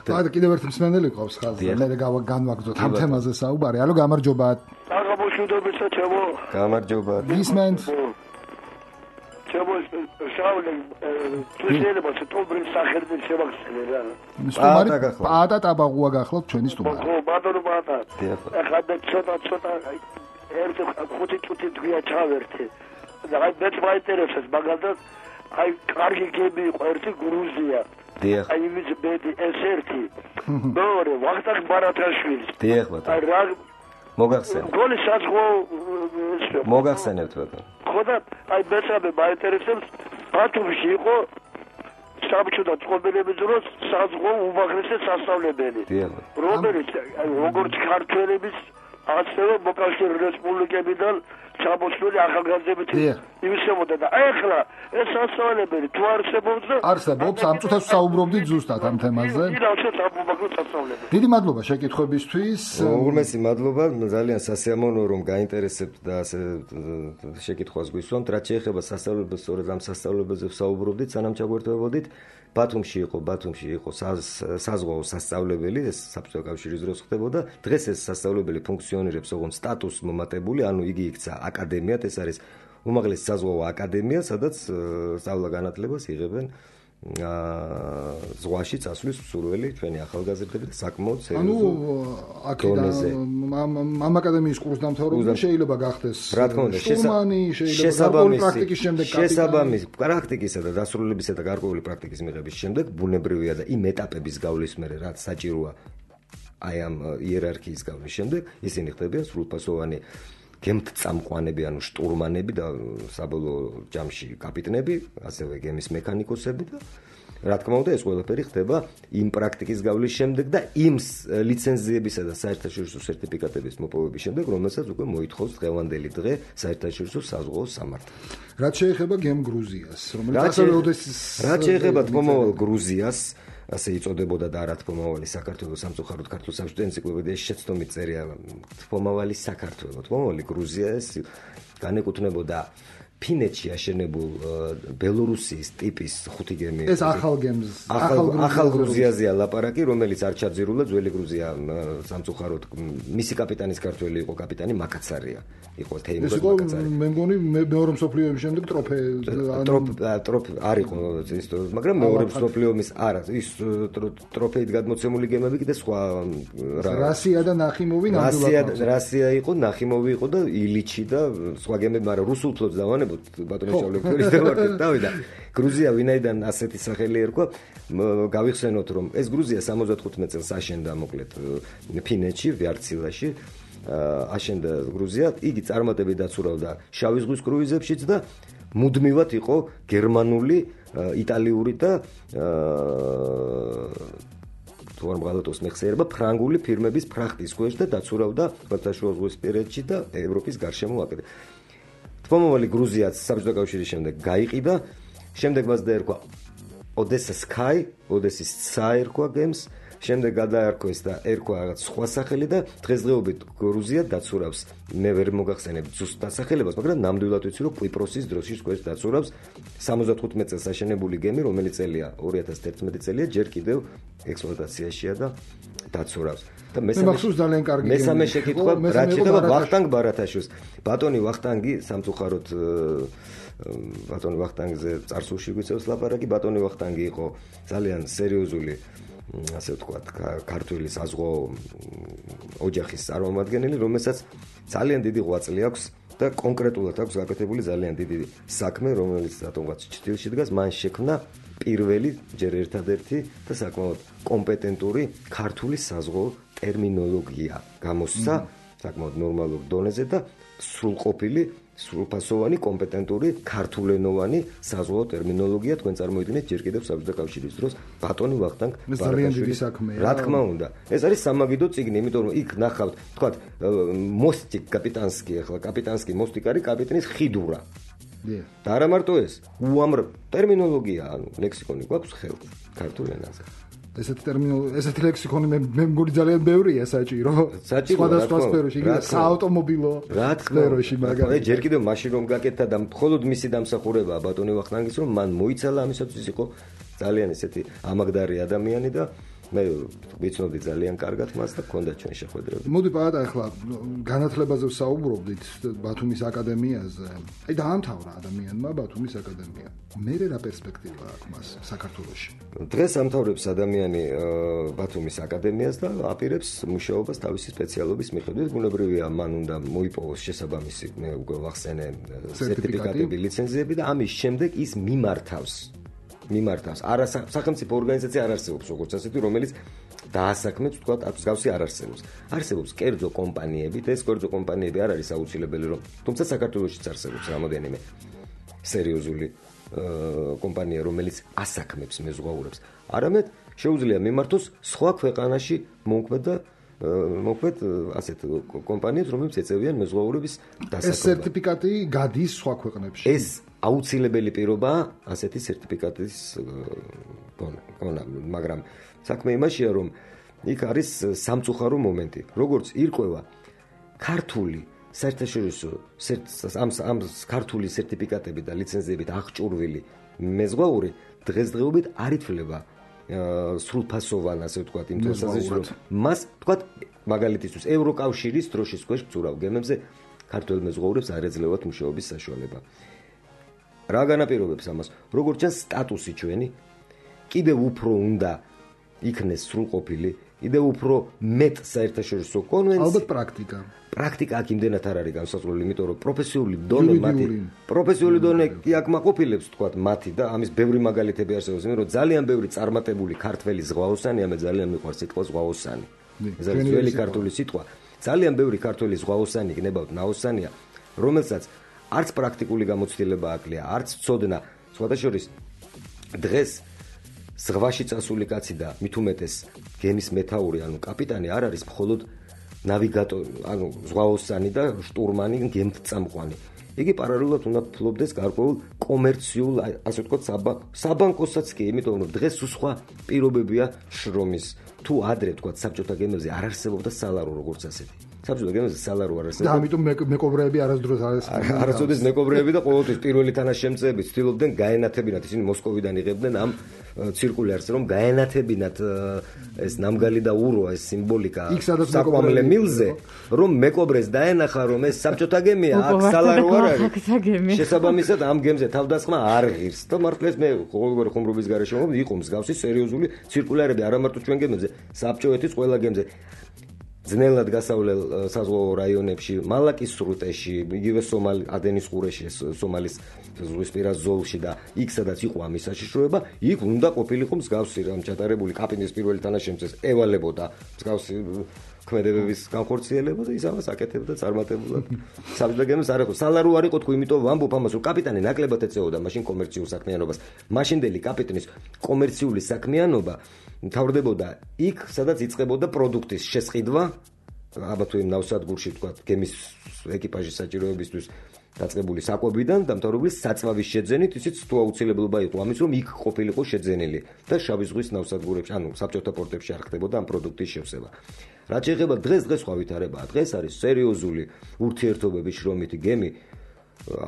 და კიდევ ერთ მსმენელი ყავს ხაზზე. მე განვაგრძოთ ამ თემაზე საუბარი. ალო, გამარჯობა. აღმოჩნდებით ჩემო. გამარჯობა. გისმენთ. ჩემო შავლე შეიძლება სტუმრის სახელით შევახსენე რა. სტუმარი პატა ტაბაღუა გახლავთ ჩვენი სტუმარი. ხო, ბატონო პატა. ახლა მე ცოტა ცოტა ერთი ხუთი წუთი დღეა ჩავერთე. და აი მეც მაინტერესებს მაგალითად აი კარგი გემი იყო ერთი გრუზია. დიახ. აი იმის ბედი ეს ერთი. მეორე ვახტანგ ბარათაშვილი. დიახ ბატონო. აი რა მოგახსენებთ. გოლი საზღვო მოგახსენებთ ბატონო. ხო და აი მესამე მაინტერესებს ბათუმში იყო საბჭოთა წყობილების დროს საზღვო უმაღლესი სასწავლებელი. დიახ. რომელიც აი როგორც ქართველების ასევე მოკავშირე რესპუბლიკებიდან ჩამოსული ახალგაზრდებით იმისებოდა და ახლა ეს სასწავლებელი თუ არსებობს და არსებობს ამ წუთას საუბრობდით ზუსტად ამ თემაზე. დიდი მადლობა შეკითხვებისთვის. უღრმესი მადლობა, ძალიან სასიამოვნოა რომ გაინტერესებთ და ასე შეკითხვას გვისვამთ. რაც შეეხება სასწავლებელს, სწორედ ამ სასწავლებელზე ვსაუბრობდით, სანამ ჩაგვერთვებოდით. ბათუმში იყო, ბათუმში იყო საზღვაო სასწავლებელი, ეს საბჭოთა კავშირის დროს ხდებოდა. დღეს ეს სასწავლებელი ფუნქციონირებს ოღონდ სტატუსს მომატებული, ანუ იგი იქცა აკადემიად, ეს არის უმაღლესი საზღვაო აკადემია, სადაც სწავლა-განათლებას იღებენ ზღვაში წასვლის მსურველი ჩვენი ახალგაზრდები და საკმაოდ სერიოზულ დონეზე. ამ აკადემიის კურსდამთავრებული შეიძლება გახდეს შტურმანი, შეიძლება პრაქტიკის შემდეგ კაპიტანი. შესაბამის პრაქტიკისა და დასრულებისა და გარკვეული პრაქტიკის მიღების შემდეგ ბუნებრივია და იმ ეტაპების გავლის მერე რაც საჭიროა აი ამ იერარქიის გავლის შემდეგ ისინი ხდებიან სრულფასოვანი გემთწამყვანები, ანუ შტურმანები და საბოლოო ჯამში კაპიტნები, ასევე გემის მექანიკოსები და რა თქმა უნდა ეს ყველაფერი ხდება იმ პრაქტიკის გავლის შემდეგ და იმ ლიცენზიებისა და საერთაშორისო სერტიფიკატების მოპოვების შემდეგ, რომელსაც უკვე მოითხოვს დღევანდელი დღე საერთაშორისო საზღვაო სამართალი. რაც შეეხება გემ გრუზიას, რომელიც ასევე ოდესის რაც შეეხება თმომავალ გრუზიას, ასე იწოდებოდა და არა თმომავალი საქართველოს სამწუხაროდ ქართულ საბჭოთა ენციკლოპედიაში შეცდომით წერია თმომავალი საქართველო. თმომავალი გრუზია ეს განეკუთვნებოდა ფინეთში აშენებულ ბელორუსიის ტიპის ხუთი გემი. ეს ახალ გემს, ახალ გრუზიაზეა ლაპარაკი, რომელიც არ ჩაძირულა ძველი გრუზია სამწუხაროდ მისი კაპიტანის ქართველი იყო კაპიტანი მაკაცარია. იყო თეიმურაზ მაკაცარი. მე მგონი მეორე მსოფლიო ომის შემდეგ ტროფე ტროფ არ იყო ის, მაგრამ მეორე მსოფლიო ომის არა, ის ტროფეით გადმოცემული გემები კიდე სხვა რასია და ნახიმოვი ნამდვილად. რასია იყო, ნახიმოვი იყო და ილიჩი და სხვა გემები, მაგრამ რუსულ ფლოტს დავანებოთ ბატონო შავლექორის დავარდეთ დავიდა. გრუზია ვინაიდან ასეთი სახელი ერქვა, გავიხსენოთ რომ ეს გრუზია სამოცდახუთი წელს აშენდა მოკლედ ფინეთში, ვიარცილაში. აშენდა გრუზია, იგი წარმატებით დაცურავდა შავი ზღვის კრუიზებშიც და მუდმივად იყო გერმანული, იტალიური და თუ არ მღალატოს მეხსიერება ფრანგული ფირმების ფრახტის ქვეშ და დაცურავდა ხმელთაშუა ზღვის პირეთში და ევროპის გარშემო აკეთებდა. თმომავალი გრუზიაც საბჭოთა კავშირის შემდეგ გაიყიდა, შემდეგ მას დაერქვა ოდესა სკაი, ოდესის ცა ერქვა გემს, შემდეგ გადაარქვეს და ერქვა რაღაც სხვა სახელი და დღესდღეობით გრუზია დაცურავს, მე ვერ მოგახსენებ ზუსტ დასახელებას, მაგრამ ნამდვილად ვიცი რომ კვიპროსის დროშის ქვეშ დაცურავს სამოცდახუთი წელს აშენებული გემი, რომელიც წელია ორი ათას ერთმეტი წელია, ჯერ კიდევ ექსპლუატაციაშია და დაცურავს. და მესამე შეკითხვა რაც შეეხება ვახტანგ ბარათაშვილს. ბატონი ვახტანგი სამწუხაროდ ბატონი ვახტანგზე წარსულში გვიწევს ლაპარაკი. ბატონი ვახტანგი იყო ძალიან სერიოზული, ასე ვთქვათ, ქართული საზღვაო ოჯახის წარმომადგენელი, რომელსაც ძალიან დიდი ღვაწლი აქვს და კონკრეტულად აქვს გაკეთებული ძალიან დიდი საქმე, რომელიც რატომღაც ჭრილში დგას, მან შექმნა პირველი ჯერ ერთადერთი და საკმაოდ კომპეტენტური ქართული საზღვაო ტერმინოლოგია გამოსცა საკმაოდ ნორმალურ დონეზე და სრულყოფილი, სრულფასოვანი, კომპეტენტური ქართულენოვანი საზღვაო ტერმინოლოგია თქვენ წარმოიდგინეთ ჯერ კიდევ საბჭოთა კავშირის დროს ბატონი ვახტანგ ბარათაშვილის საქმეა. რა თქმა უნდა, ეს არის სამაგიდო წიგნი, იმიტომ რომ იქ ნახავთ, თქვათ, მოსტიკ კაპიტანსკი, ახლა კაპიტანსკი მოსტიკ არის კაპიტნის ხიდურა. და არა მარტო ეს, უამრავ ტერმინოლოგია, ანუ ლექსიკონი გვაქვს ხელთ ქართულ ენაზე. ესეთი ტერმინოლოგია, ესეთი ლექსიკონი მე მე მგონი ძალიან ბევრია საჭირო. სხვადასხვა სფეროში, იგივე საავტომობილო სფეროში მაგალითად. აი ჯერ კიდევ მაშინ რომ გაკეთდა და მხოლოდ მისი დამსახურებაა ბატონი ვახტანგის, რომ მან მოიცალა ამისათვის იყო ძალიან ესეთი ამაგდარი ადამიანი და მე ვიცნობდი ძალიან კარგად მას და გქონდა ჩვენ შეხვედრები. მოდი პაატა ახლა განათლებაზე ვსაუბრობდით ბათუმის აკადემიაზე. აი დაამთავრა ადამიანმა ბათუმის აკადემია. მე რა პერსპექტივა აქვს მას საქართველოში? დღეს ამთავრებს ადამიანი ბათუმის აკადემიას და აპირებს მუშაობას თავისი სპეციალობის მიხედვით. ბუნებრივია, მან უნდა მოიპოვოს შესაბამისი, მე უკვე ვახსენე, სერტიფიკატები, ლიცენზიები და ამის შემდეგ ის მიმართავს მიმართავს. არა სახელმწიფო ორგანიზაცია არ არსებობს როგორც ასეთი, რომელიც დაასაქმებს, თქვა, მსგავსი არ არსებობს. არსებობს კერძო კომპანიები და ეს კერძო კომპანიები არ არის აუცილებელი, რომ თუმცა საქართველოშიც არსებობს რამოდენიმე სერიოზული კომპანია, რომელიც ასაქმებს მეზღვაურებს. არამედ შეუძლია მიმართოს სხვა ქვეყანაში მომკვეთ და მოკლედ ასეთ კომპანიებს, რომლებიც ეწევიან მეზღვაურების დასაქმებას. ეს სერტიფიკატი გადის სხვა ქვეყნებში. ეს აუცილებელი პირობაა ასეთი სერტიფიკატის გონა, მაგრამ საქმე იმაშია, რომ იქ არის სამწუხარო მომენტი. როგორც ირკვევა ქართული საერთაშორისო ამ ამ ქართული სერტიფიკატები და ლიცენზიებით აღჭურვილი მეზღვაური დღესდღეობით არ ითვლება სრულფასოვან, ასე ვთქვათ, იმ თვალსაზრისით, რომ მას, ვთქვათ, მაგალითისთვის ევროკავშირის დროშის ქვეშ მცურავ გემებზე ქართველ მეზღვაურებს არ ეძლევათ მუშაობის საშუალება. რა განაპირობებს ამას? როგორც ჩანს, სტატუსი ჩვენი კიდევ უფრო უნდა იქნეს სრულყოფილი, კიდევ უფრო მეტ საერთაშორისო კონვენცია. ალბათ პრაქტიკა. პრაქტიკა აქ იმდენად არ არის განსაზღვრული, იმიტომ რომ პროფესიული დონე მათი, პროფესიული დონე კი აქ მაყოფილებს, თქვათ, მათი და ამის ბევრი მაგალითები არსებობს, იმიტომ რომ ძალიან ბევრი წარმატებული ქართველი ზღვაოსანი, ამე ძალიან მიყვარს სიტყვა ზღვაოსანი. ეს არის ძველი ქართული სიტყვა. ძალიან ბევრი ქართველი ზღვაოსანი გნებავთ ნაოსანია, რომელსაც არც პრაქტიკული გამოცდილება აკლია, არც ცოდნა. სხვადასხვა დღეს ზღვაში წასული კაცი და მით უმეტეს გემის მეთაური, ანუ კაპიტანი არ არის მხოლოდ ნავიგატორი, ანუ ზღვაოსანი და შტურმანი, გემთწამყვანი. იგი პარალელურად უნდა ფლობდეს გარკვეულ კომერციულ, ასე ვთქვათ, საბანკოსაც კი, იმიტომ რომ დღეს სხვა პირობებია შრომის. თუ ადრე ვთქვათ, საბჭოთა გემებზე არ არსებობდა სალარო როგორც ასეთი. საბჭოთა გემებზე სალარო არ არსებობდა. და ამიტომ მეკობრეები არასდროს არ არსებობდნენ. არასოდეს მეკობრეები და ყოველთვის პირველი თანაშემწეები ცდილობდნენ გაენათებინათ, ისინი მოსკოვიდან იღებდნენ ამ ცირკულარს, რომ გაენათებინათ ეს ნამგალი და ურვა, ეს სიმბოლიკა საკვამლე მილზე, რომ მეკობრეს დაენახა, რომ ეს საბჭოთა გემია, აქ სალარო არ არის. შესაბამისად ამ გემზე თავდასხმა არ ღირს და მართლაც მე ყოველგვარი ხუმრობის გარეშე მომდი, იყო მსგავსი სერიოზული ცირკულარები, არა მარტო ჩვენ გემებზე, საბჭოეთის ყველა გემზე. ძნელად გასავლელ საზღვაო რაიონებში, მალაკის სრუტეში, იგივე სომალი ადენის ყურეში, სომალის ზღვისპირა ზოლში და იქ სადაც იყო ამის საშიშროება, იქ უნდა ყოფილიყო მსგავსი რამ ჩატარებული კაპიტნის პირველი თანაშემწეს ევალებოდა მსგავსი ქმედებების განხორციელება და ის ამას აკეთებდა წარმატებულად. საბჭოთა გემს არ იყო სალარო არ იყო, თქო, იმიტომ ვამბობ ამას, რომ კაპიტანი ნაკლებად ეწეოდა მაშინ კომერციულ საქმიანობას. მაშინდელი კაპიტნის კომერციული საქმიანობა მთავრდებოდა იქ, სადაც იწყებოდა პროდუქტის შესყიდვა, აბა თუ იმ ნავსადგურში, თქვა, გემის ეკიპაჟის საჭიროებისთვის დაწყებული საკვებიდან და მთავრობის საწვავის შეძენით, ისიც თუ აუცილებლობა იყო ამის, რომ იქ ყოფილიყო შეძენილი და შავი ზღვის ნავსადგურებში, ანუ საბჭოთა პორტებში არ ხდებოდა ამ პროდუქტის შევსება. რაც შეეხება დღეს დღეს სხვა ვითარებაა. დღეს არის სერიოზული ურთიერთობების შრომითი გემი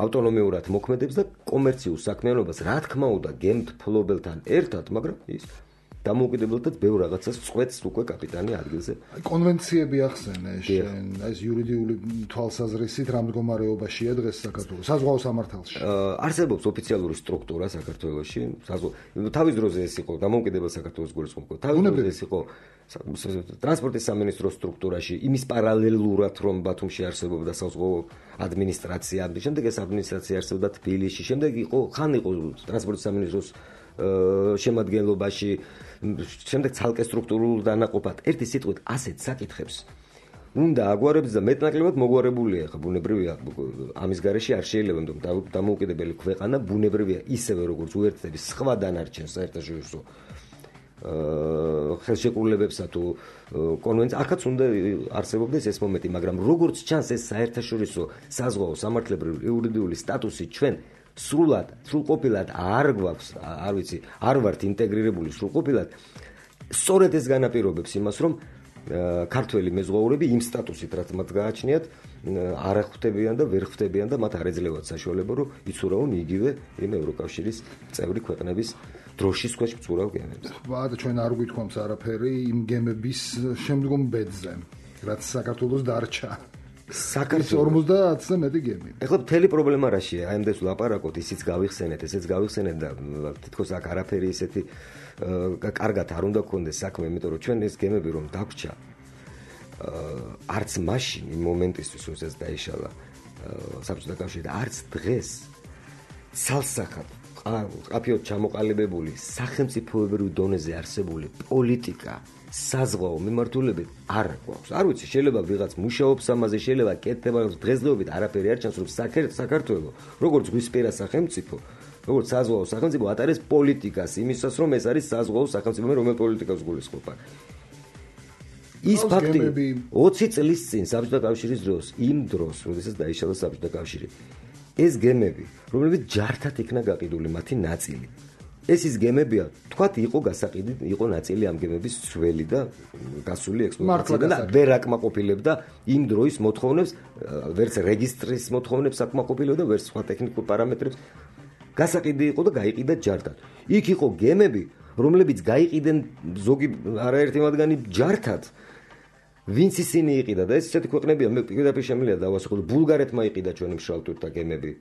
ავტონომიურად მოქმედებს და კომერციულ საქმიანობას, რა თქმა უნდა, გემთფლობელთან ერთად, მაგრამ ის დამოუკიდებლად ბევრ რაღაცას წყვეტს უკვე კაპიტანი ადგილზე. აი კონვენციები ახსენე შენ, აი ეს იურიდიული თვალსაზრისით რა მდგომარეობაშია დღეს საქართველოს საზღვაო სამართალში? არსებობს ოფიციალური სტრუქტურა საქართველოში, თავის დროზე ეს იყო დამოუკიდებელ საქართველოს გულისხმობა. თავის დროზე ეს იყო ტრანსპორტის სამინისტროს სტრუქტურაში, იმის პარალელურად რომ ბათუმში არსებობდა საზღვაო ადმინისტრაცია, შემდეგ ეს ადმინისტრაცია არსებობდა თბილისში, შემდეგ იყო ხან იყო ტრანსპორტის სამინისტროს შემადგენლობაში, შემდეგ ცალკე სტრუქტურულ დანაყოფად. ერთი სიტყვით ასეთ საკითხებს უნდა აგვარებს და მეტნაკლებად მოგვარებულია, ხა ბუნებრივია ამის გარეშე არ შეიძლება, რომ დამოუკიდებელი ქვეყანა ბუნებრივია ისევე როგორც უერთდების სხვა დანარჩენ საერთაშორისო ხელშეკრულებებსა თუ კონვენციას, აქაც უნდა არსებობდეს ეს მომენტი, მაგრამ როგორც ჩანს ეს საერთაშორისო საზღვაო სამართლებრივი იურიდიული სტატუსი ჩვენ სრულად, სრულყოფილად არ გვაქვს, არ ვიცი, არ ვართ ინტეგრირებული სრულყოფილად. სწორედ ეს განაპირობებს იმას, რომ ქართველი მეზღვაურები იმ სტატუსით, რაც მათ გააჩნიათ, არ ხვდებიან და ვერ ხვდებიან და მათ არ ეძლევათ საშუალება, რომ იცურავონ იგივე იმ ევროკავშირის წევრი ქვეყნების დროშის ქვეშ მცურავ გემებს. ხვა და ჩვენ არ გვითხოვს არაფერი იმ გემების შემდგომ ბედზე, რაც საქართველოს დარჩა. საქართველოს ორმოცდაათზე მეტი გემი. ეხლა მთელი პრობლემა რაშია? აი ამდენს ვლაპარაკოთ, ისიც გავიხსენეთ, ესეც გავიხსენეთ და თითქოს აქ არაფერი ისეთი კარგად არ უნდა გქონდეს საქმე, იმიტომ რომ ჩვენ ეს გემები რომ დაგვრჩა, არც მაშინ იმ მომენტისთვის, როდესაც დაიშალა საბჭოთა კავშირი და არც დღეს ცალსახად ყაფიოდ ჩამოყალიბებული სახელმწიფოებრივ დონეზე არსებული პოლიტიკა საზღვაო მიმართულებით არ გვაქვს. არ ვიცი, შეიძლება ვიღაც მუშაობს ამაზე, შეიძლება კეთდება, დღესდღეობით არაფერი არ ჩანს, რომ საქართველოს როგორც ზღვისპირა სახელმწიფო, როგორც საზღვაო სახელმწიფო ატარებს პოლიტიკას იმისას, რომ ეს არის საზღვაო სახელმწიფო, რომელ პოლიტიკას გულისხმობა. ის ფაქტი ოცი წლის წინ საბჭოთა კავშირის დროს, იმ დროს, როდესაც დაიშალა საბჭოთა კავშირი, ეს გემები, რომლებიც ჯართად იქნა გაყიდული მათი ნაწილი. ეს ის გემებია, თქვათ, იყო გასაყიდი, იყო ნაწილი ამ გემების ძველი და გასული ექსპლუატაციიდან და ვერ აკმაყოფილებდა იმ დროის მოთხოვნებს, ვერც რეგისტრის მოთხოვნებს აკმაყოფილებდა, ვერც სხვა ტექნიკურ პარამეტრებს. გასაყიდი იყო და გაიყიდა ჯართად. იქ იყო გემები, რომლებიც გაიყიდნენ ზოგი არაერთი მათგანი ჯართად. ვინც ისინი იყიდა და ეს ესეთი ქვეყნებია, მე პირდაპირ შემიძლია დავასახელო, ბულგარეთმა იყიდა ჩვენი მშრალტურთა გემები.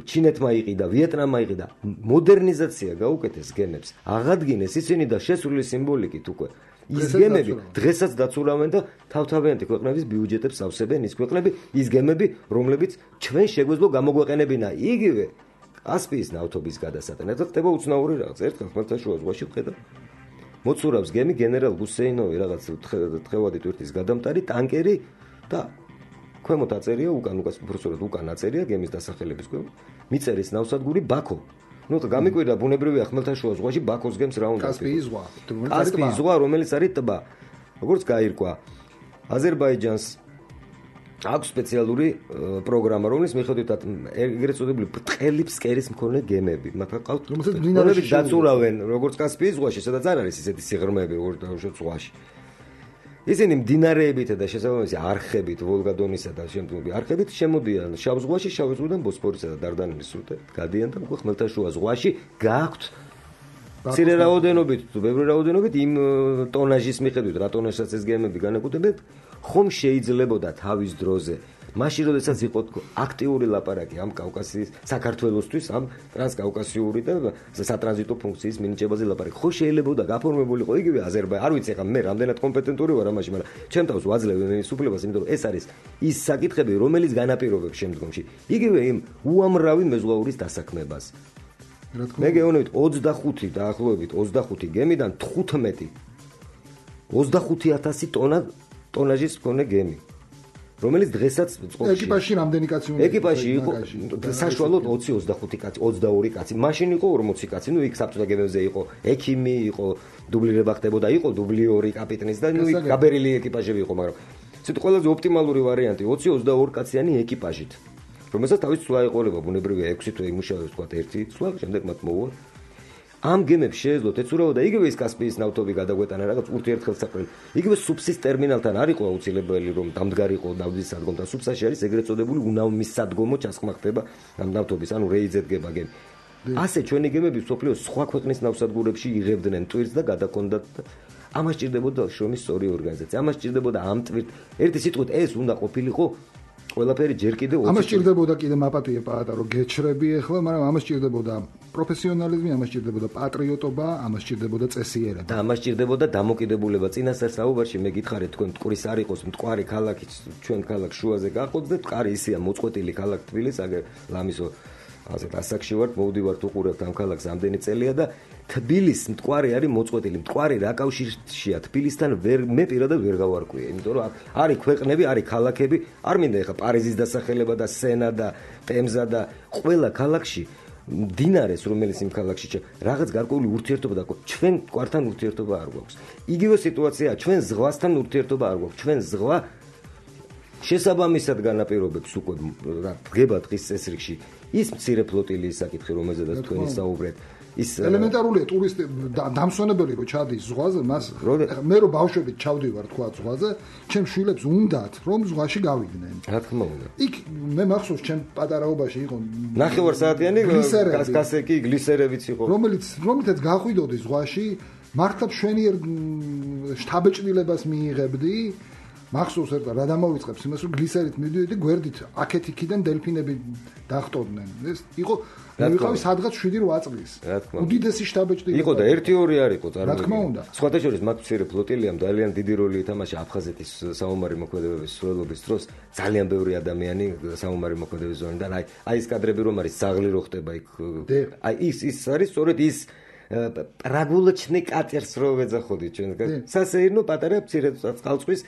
ჩინეთმა იყიდა, ვიეტნამმა იყიდა. მოდერნიზაცია გაუკეთეს გემებს. აღადგინეს ისინი და შესული სიმბოლიკით უკვე. ის გემები დღესაც დაცურავენ და თავთავიანთი ქვეყნების ბიუჯეტებს ავსებენ ის ქვეყნები, ის გემები, რომლებიც ჩვენ შეგვეძლო გამოგვეყენებინა იგივე კასპიის ნავთობის გადასატანად. და ხდება უცნაური რაღაც. ერთხელ ხმელთაშუა ზღვაში ვხედავ მოცურავს გემი გენერალ გუსეინოვი რაღაც თხევადი ტვირთის გადამტარი ტანკერი და ქვემოთ აწერია უკან უკან უბრალოდ უკან აწერია გემის დასახელების ქვემოთ მიწერის ნავსადგური ბაქო. ნუ გამიკვირდა ბუნებრივია ხმელთაშუა ზღვაში ბაქოს გემს რა უნდა კასპიის ზღვა. კასპიის ზღვა რომელიც არის ტბა. როგორც გაირკვა აზერბაიჯანს აქვს სპეციალური პროგრამა, რომლის მიხედვითაც ეგრეთ წოდებული ბრტყელი ფსკერის მქონე გემები. მათ ყავთ რომლებიც დაწურავენ როგორც კასპიის ზღვაში, სადაც არ არის ისეთი სიღრმეები როგორც ზღვაში. ისინი მდინარეებით და შესაბამისი არხებით, ვოლგა-დონისა და შემდგომი არხებით შემოდიან შავ ზღვაში, შავ ზღვიდან ბოსფორისა და დარდანელის სრუტე გადიან და უკვე ხმელთაშუა ზღვაში გააქვთ მცირე რაოდენობით, ბევრი რაოდენობით იმ ტონაჟის მიხედვით, რა ტონაჟსაც ეს გემები განეკუთვნებენ, ხომ შეიძლებოდა თავის დროზე მაშინ როდესაც იყო აქტიური ლაპარაკი ამ კავკასიის საქართველოსთვის ამ ტრანსკავკასიური და სატრანზიტო ფუნქციის მინიჭებაზე ლაპარაკი ხო შეიძლებოდა გაფორმებულიყო იგივე აზერბაიჯანი არ ვიცი ახლა მე რამდენად კომპეტენტური ვარ ამაში მაგრამ ჩემ თავს ვაძლევ იმის უფლებას იმიტომ რომ ეს არის ის საკითხები რომელიც განაპირობებს შემდგომში იგივე იმ უამრავი მეზღვაურის დასაქმებას მე გეუბნებით ოცდახუთი დაახლოებით ოცდახუთი გემიდან თხუთმეტი ოცდახუთი ათასი ტონა ტონაჟის მქონე გემი რომელიც დღესაც წყობაში ეკიპაჟში რამდენი კაცი უნდა ეკიპაჟში იყო საშუალოდ ოცი ოცდახუთი კაცი ოცდაორი კაცი მაშინ იყო ორმოცი კაცი ნუ იქ საბჭოთა გემებზე იყო ექიმი იყო დუბლირება ხდებოდა იყო დუბლიორი კაპიტნის და ნუ იქ გაბერილი ეკიპაჟები იყო მაგრამ ცოტა ყველაზე ოპტიმალური ვარიანტი ოცი ოცდაორი კაციანი ეკიპაჟით რომელსაც თავის ცვლა ეყოლება ბუნებრივია ექვსი თვე იმუშავებს თქვა ერთი ცვლა შემდეგ მათ მოუვა ამ გემებს შეეძლოთ ეცურავა და იგივე ის კასპიის ნავთობი გადაგვეტანა რაღაც ურთიერთხელსაყრელი იგივე სუფსის ტერმინალთან არ იყო აუცილებელი რომ დამდგარიყო ნავთობის სადგომი და სუფსაში არის ეგრეთ წოდებული უნავმის სადგომო ჩასხმა ხდება ამ ნავთობის ანუ რეიძეთ გება გემი ასე ჩვენი გემები სოფლიოს სხვა ქვეყნის ნავსადგურებში იღებდნენ ტვირთს და გადაკონდათ ამას ჭირდებოდა შრომის სწორი ორგანიზაცია ამას ჭირდებოდა ამ ტვირთ ერთი სიტყვით ეს უნდა ყოფილიყო ყველაფერი ჯერ კიდევ ამას ჭირდებოდა კიდე მაპატიე პაატა რომ გეჩრები ახლა მაგრამ ამას ჭირდებოდა პროფესიონალიზმი ამას ჭირდებოდა პატრიოტობა ამას ჭირდებოდა წესიერება და ამას ჭირდებოდა დამოკიდებულება წინასწარ საუბარში მე გითხარით თქვენ მტკვრის არ იყოს მტკვარი ქალაქი ჩვენ ქალაქ შუაზე გაყოთ და მტკვარი ისეა მოწყვეტილი ქალაქ თბილისს აგერ ლამისო ასეთ ასაკში ვართ მოვდივართ უყურებთ ამ ქალაქს ამდენი წელია და თბილისს მტკვარი არის მოწყვეტილი მტკვარი რა კავშირშია თბილისთან ვერ მე პირადად ვერ გავარკვია იმიტომ რომ არის ქვეყნები არის ქალაქები არ მინდა ეხა პარიზის დასახელება და სენა და ტემზა და ყველა ქალაქში დინარეს რომელიც იმ ქალაქში რაღაც გარკვეული ურთიერთობა და ჩვენ მტკვართან ურთიერთობა არ გვაქვს იგივე სიტუაციაა ჩვენ ზღვასთან ურთიერთობა არ გვაქვს ჩვენ ზღვა შესაბამისად განაპირობებს უკვე რა დგება დღის წესრიგში ის მცირე ფლოტილიის საკითხი, რომელზედაც თქვენი საუბრეთ. ის ელემენტარულია ტურისტი დამსვენებელი რო ჩადის ზღვაზე, მას მე რო ბავშვებით ჩავდივარ თქვა ზღვაზე, ჩემს შვილებს უნდათ რომ ზღვაში გავიდნენ. რა თქმა უნდა. იქ მე მახსოვს ჩემ პატარაობაში იყო ნახევარსაათიანი კასკასეკი გლისერებიც იყო. რომელიც რომელთაც გაყვიდოდი ზღვაში, მართლა შვენიერ შთაბეჭდილებას მიიღებდი. მახსოვს ერთ რა დამოვიწყებს იმას რომ გლისერით მივიდოდი გვერდით აქეთ იქიდან დელფინები დახტოდნენ. ეს იყო მე ვიყავი სადღაც შვიდი რვა წლის. უდიდესი შტაბეჭდილება. იყო და ერთი ორი არ იყო წარმოიდგინე. რა თქმა უნდა. სხვათა შორის მათ მცირე ფლოტილიამ ძალიან დიდი როლი ითამაშა აფხაზეთის საომარი მოქმედებების სრულობის დროს. ძალიან ბევრი ადამიანი საომარი მოქმედების ზონიდან აი აი ეს კადრები რომ არის ზაღლი რო ხდება იქ. აი ის ის არის სწორედ ის პრაგულოჩნი კატერს რო ვეძახოდი ჩვენ. სასეირნო პატარა მცირე წყალწვის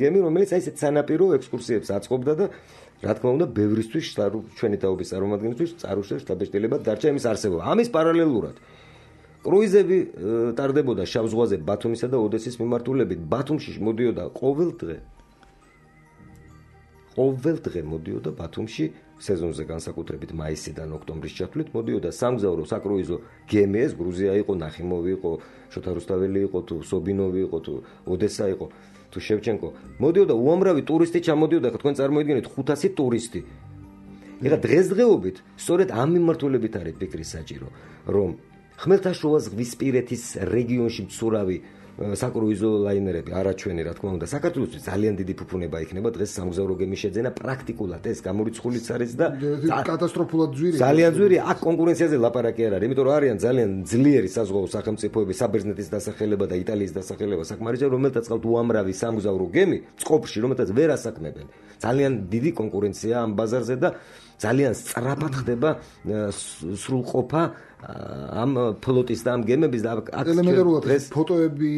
გემი რომელიც აი ეს სანაპირო ექსკურსიებს აწყობდა და რა თქმა უნდა, ბევრისთვის ჩვენი თაობის წარმომადგენლისთვის წარუშევ შთაბეჭდილება დარჩა იმის არსებობა. ამის პარალელურად კრუიზები ტარდებოდა შავ ზღვაზე ბათუმისა და ოდესის მიმართულებით. ბათუმში მოდიოდა ყოველ დღე. ყოველ დღე მოდიოდა ბათუმში სეზონზე განსაკუთრებით მაისიდან ოქტომბრის ჩათვლით მოდიოდა სამგზავრო საკრუიზო გემი, ეს გრუზია იყო, ნახიმოვი იყო, შოთა რუსთაველი იყო, თუ სობინოვი იყო, თუ ოდესა იყო. თუ შევჩენკო მოდიოდა უამრავი ტურისტი ჩამოდიოდა, თქვენ წარმოიდგინეთ ხუთასი ტურისტი. ეხლა დღესდღეობით სწორედ ამ მიმართულებით არის ფიქრი საჭირო, რომ ხმელთაშუა ზღვისპირეთის რეგიონში მცურავი საკრუიზო ლაინერები არაჩვენი რა თქმა უნდა საქართველოსთვის ძალიან დიდი ფუფუნება იქნება დღეს სამგზავრო გემის შეძენა პრაქტიკულად ეს გამორიცხულიც არის და კატასტროფულად ძვირია. ძალიან ძვირია, აქ კონკურენციაზე ლაპარაკი არ არის, იმიტომ რომ არიან ძალიან ძლიერი საზღვაო სახელმწიფოები, საბერძნეთის დასახელება და იტალიის დასახელება საკმარისია, რომელთაც ყავთ უამრავი სამგზავრო გემი წყობში, რომელთაც ვერ ასაქმებენ. ძალიან დიდი კონკურენცია ამ ბაზარზე და ძალიან სწრაფად ხდება სრულყოფა ამ ფლოტის და ამ გემების და აქ ელემენტარულად ფოტოები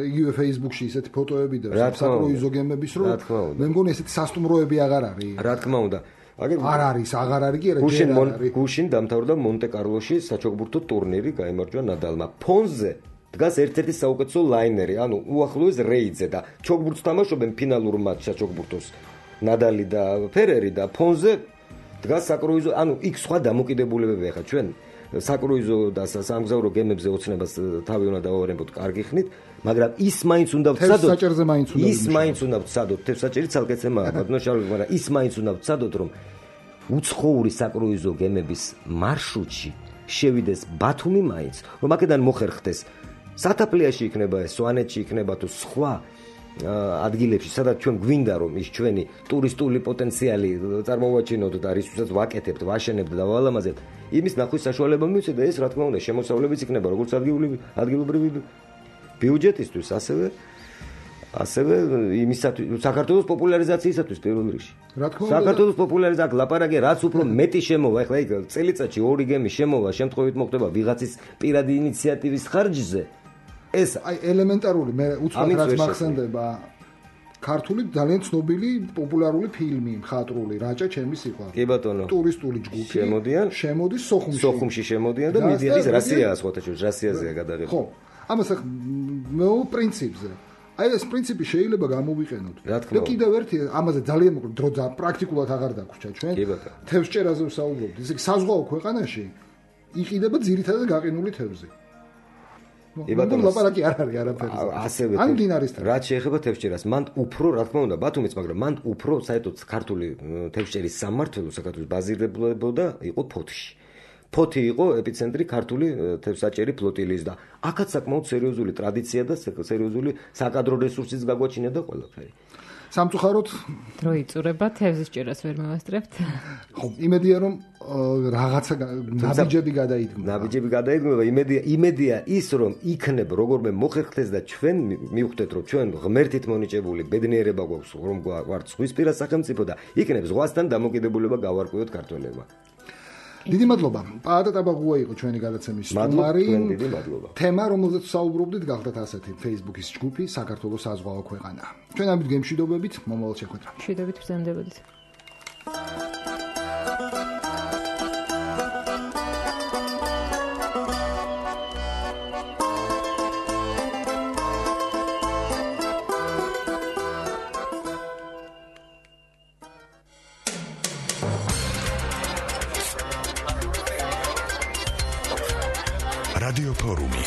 იგივე Facebook-ში ისეთი ფოტოები და საკრუიზო გემების რო მე მგონი ესეთი სასტუმროები აღარ არის. რა თქმა უნდა. არ არის, აღარ არის კი არა ჯერ არის. გუშინ დამთავრდა მონტე-კარლოში საჩოგბურთო ტურნირი, გაიმარჯვა ნადალმა. ფონზე დგას ერთ-ერთი საუკეთესო ლაინერი, ანუ უახლოეს რეიდზე და ჩოგბურთს თამაშობენ ფინალურ მატჩს საჩოგბურთოს. ნადალი და ფერერი და ფონზე დგას საკრუიზო, ანუ იქ სხვა დამოკიდებულებები ახლა ჩვენ საკრუიზო და სამგზავრო გემებზე ოცნებას თავი უნდა დავარემოთ, კარგი ხნით, მაგრამ ის მაინც უნდა ვცადოთ. თევზსაჭერზე მაინც უნდა ის მაინც უნდა ვცადოთ. თევზსაჭერი ცალკეცემაა, ბატონო შარლი, მაგრამ ის მაინც უნდა ვცადოთ, რომ უცხოური საკრუიზო გემების მარშრუტში შევიდეს ბათუმი მაინც, რომ აქედან მოხერხდეს სათაფლიაში იქნება ეს, სვანეთში იქნება თუ სხვა ადგილებში, სადაც ჩვენ გვინდა რომ ის ჩვენი ტურისტული პოტენციალი წარმოვაჩინოთ და რისთვისაც ვაკეთებთ, ვაშენებთ და ვალამაზებთ, იმის ნახვის საშუალება მივცეთ და ეს რა თქმა უნდა შემოსავლებიც იქნება როგორც ადგილობრივი ადგილობრივი ბიუჯეტისთვის, ასევე ასევე იმისათვის საქართველოს პოპულარიზაციისათვის პირველ რიგში. რა თქმა უნდა საქართველოს პოპულარიზაცია აქ ლაპარაკი რაც უფრო მეტი შემოვა, ეხლა იქ წელიწადში ორი გემი შემოვა, შემთხვევით მოხდება ვიღაცის პირადი ინიციატივის ხარჯზე. ეს აი ელემენტარული მე უცბად რაც მახსენდება ქართული ძალიან ცნობილი პოპულარული ფილმი მხატვრული რაჭა ჩემი სიყვარული. კი ბატონო. ტურისტული ჯგუფი შემოდიან, შემოდის სოხუმში. სოხუმში შემოდიან და მიდიან ის რასიაა სხვათა შორის, რასიაზეა გადაღება. ხო. ამას ახ მე პრინციპზე. აი ეს პრინციპი შეიძლება გამოვიყენოთ. და კიდევ ერთი ამაზე ძალიან მოკლედ დრო პრაქტიკულად აღარ დაგვრჩა ჩვენ. თევზჭერაზე ვსაუბრობთ. ისე საზღვაო ქვეყანაში იყიდება ძირითადად გაყინული თევზი. იბატონო ლაპარაკი არ არის არაფერზე. ასევე ან დინარისთან. რაც შეეხება თევზჭერას, მან უფრო რა თქმა უნდა ბათუმიც, მაგრამ მან უფრო საერთოდ ქართული თევზჭერის სამმართველო საქართველოს ბაზირდებოდა იყო ფოთში. ფოთი იყო ეპიცენტრი ქართული თევზსაჭერი ფლოტილიის და აქაც საკმაოდ სერიოზული ტრადიცია და სერიოზული საკადრო რესურსის გაგვაჩინა და ყველაფერი. სამწუხაროდ დრო იწურება თევზჭერას ვერ მევასწრებთ. ხო, იმედია რომ რაღაცა ნაბიჯები გადაიდგება. ნაბიჯები გადაიდგება, იმედია, იმედია ის რომ იქნებ როგორმე მოხერხდეს და ჩვენ მივხვდეთ რომ ჩვენ ღმერთით მონიჭებული ბედნიერება გვაქვს რომ გვართ ზღვისპირა სახელმწიფო და იქნებ ზღვასთან დამოკიდებულება გავარკვიოთ ქართველებმა. დიდი მადლობა. პაატა ტაბაღუა იყო ჩვენი გადაცემის სტუმარი. დიდი მადლობა. თემა, რომელზეც ვსაუბრობდით, გახდათ ასეთი Facebook-ის ჯგუფი საქართველოს საზღვაო ქვეყანა. ჩვენ ამით გემშვიდობებით, მომავალ შეხვედრამდე. მშვიდობით ბრძანდებოდით. რადიო ფორუმი.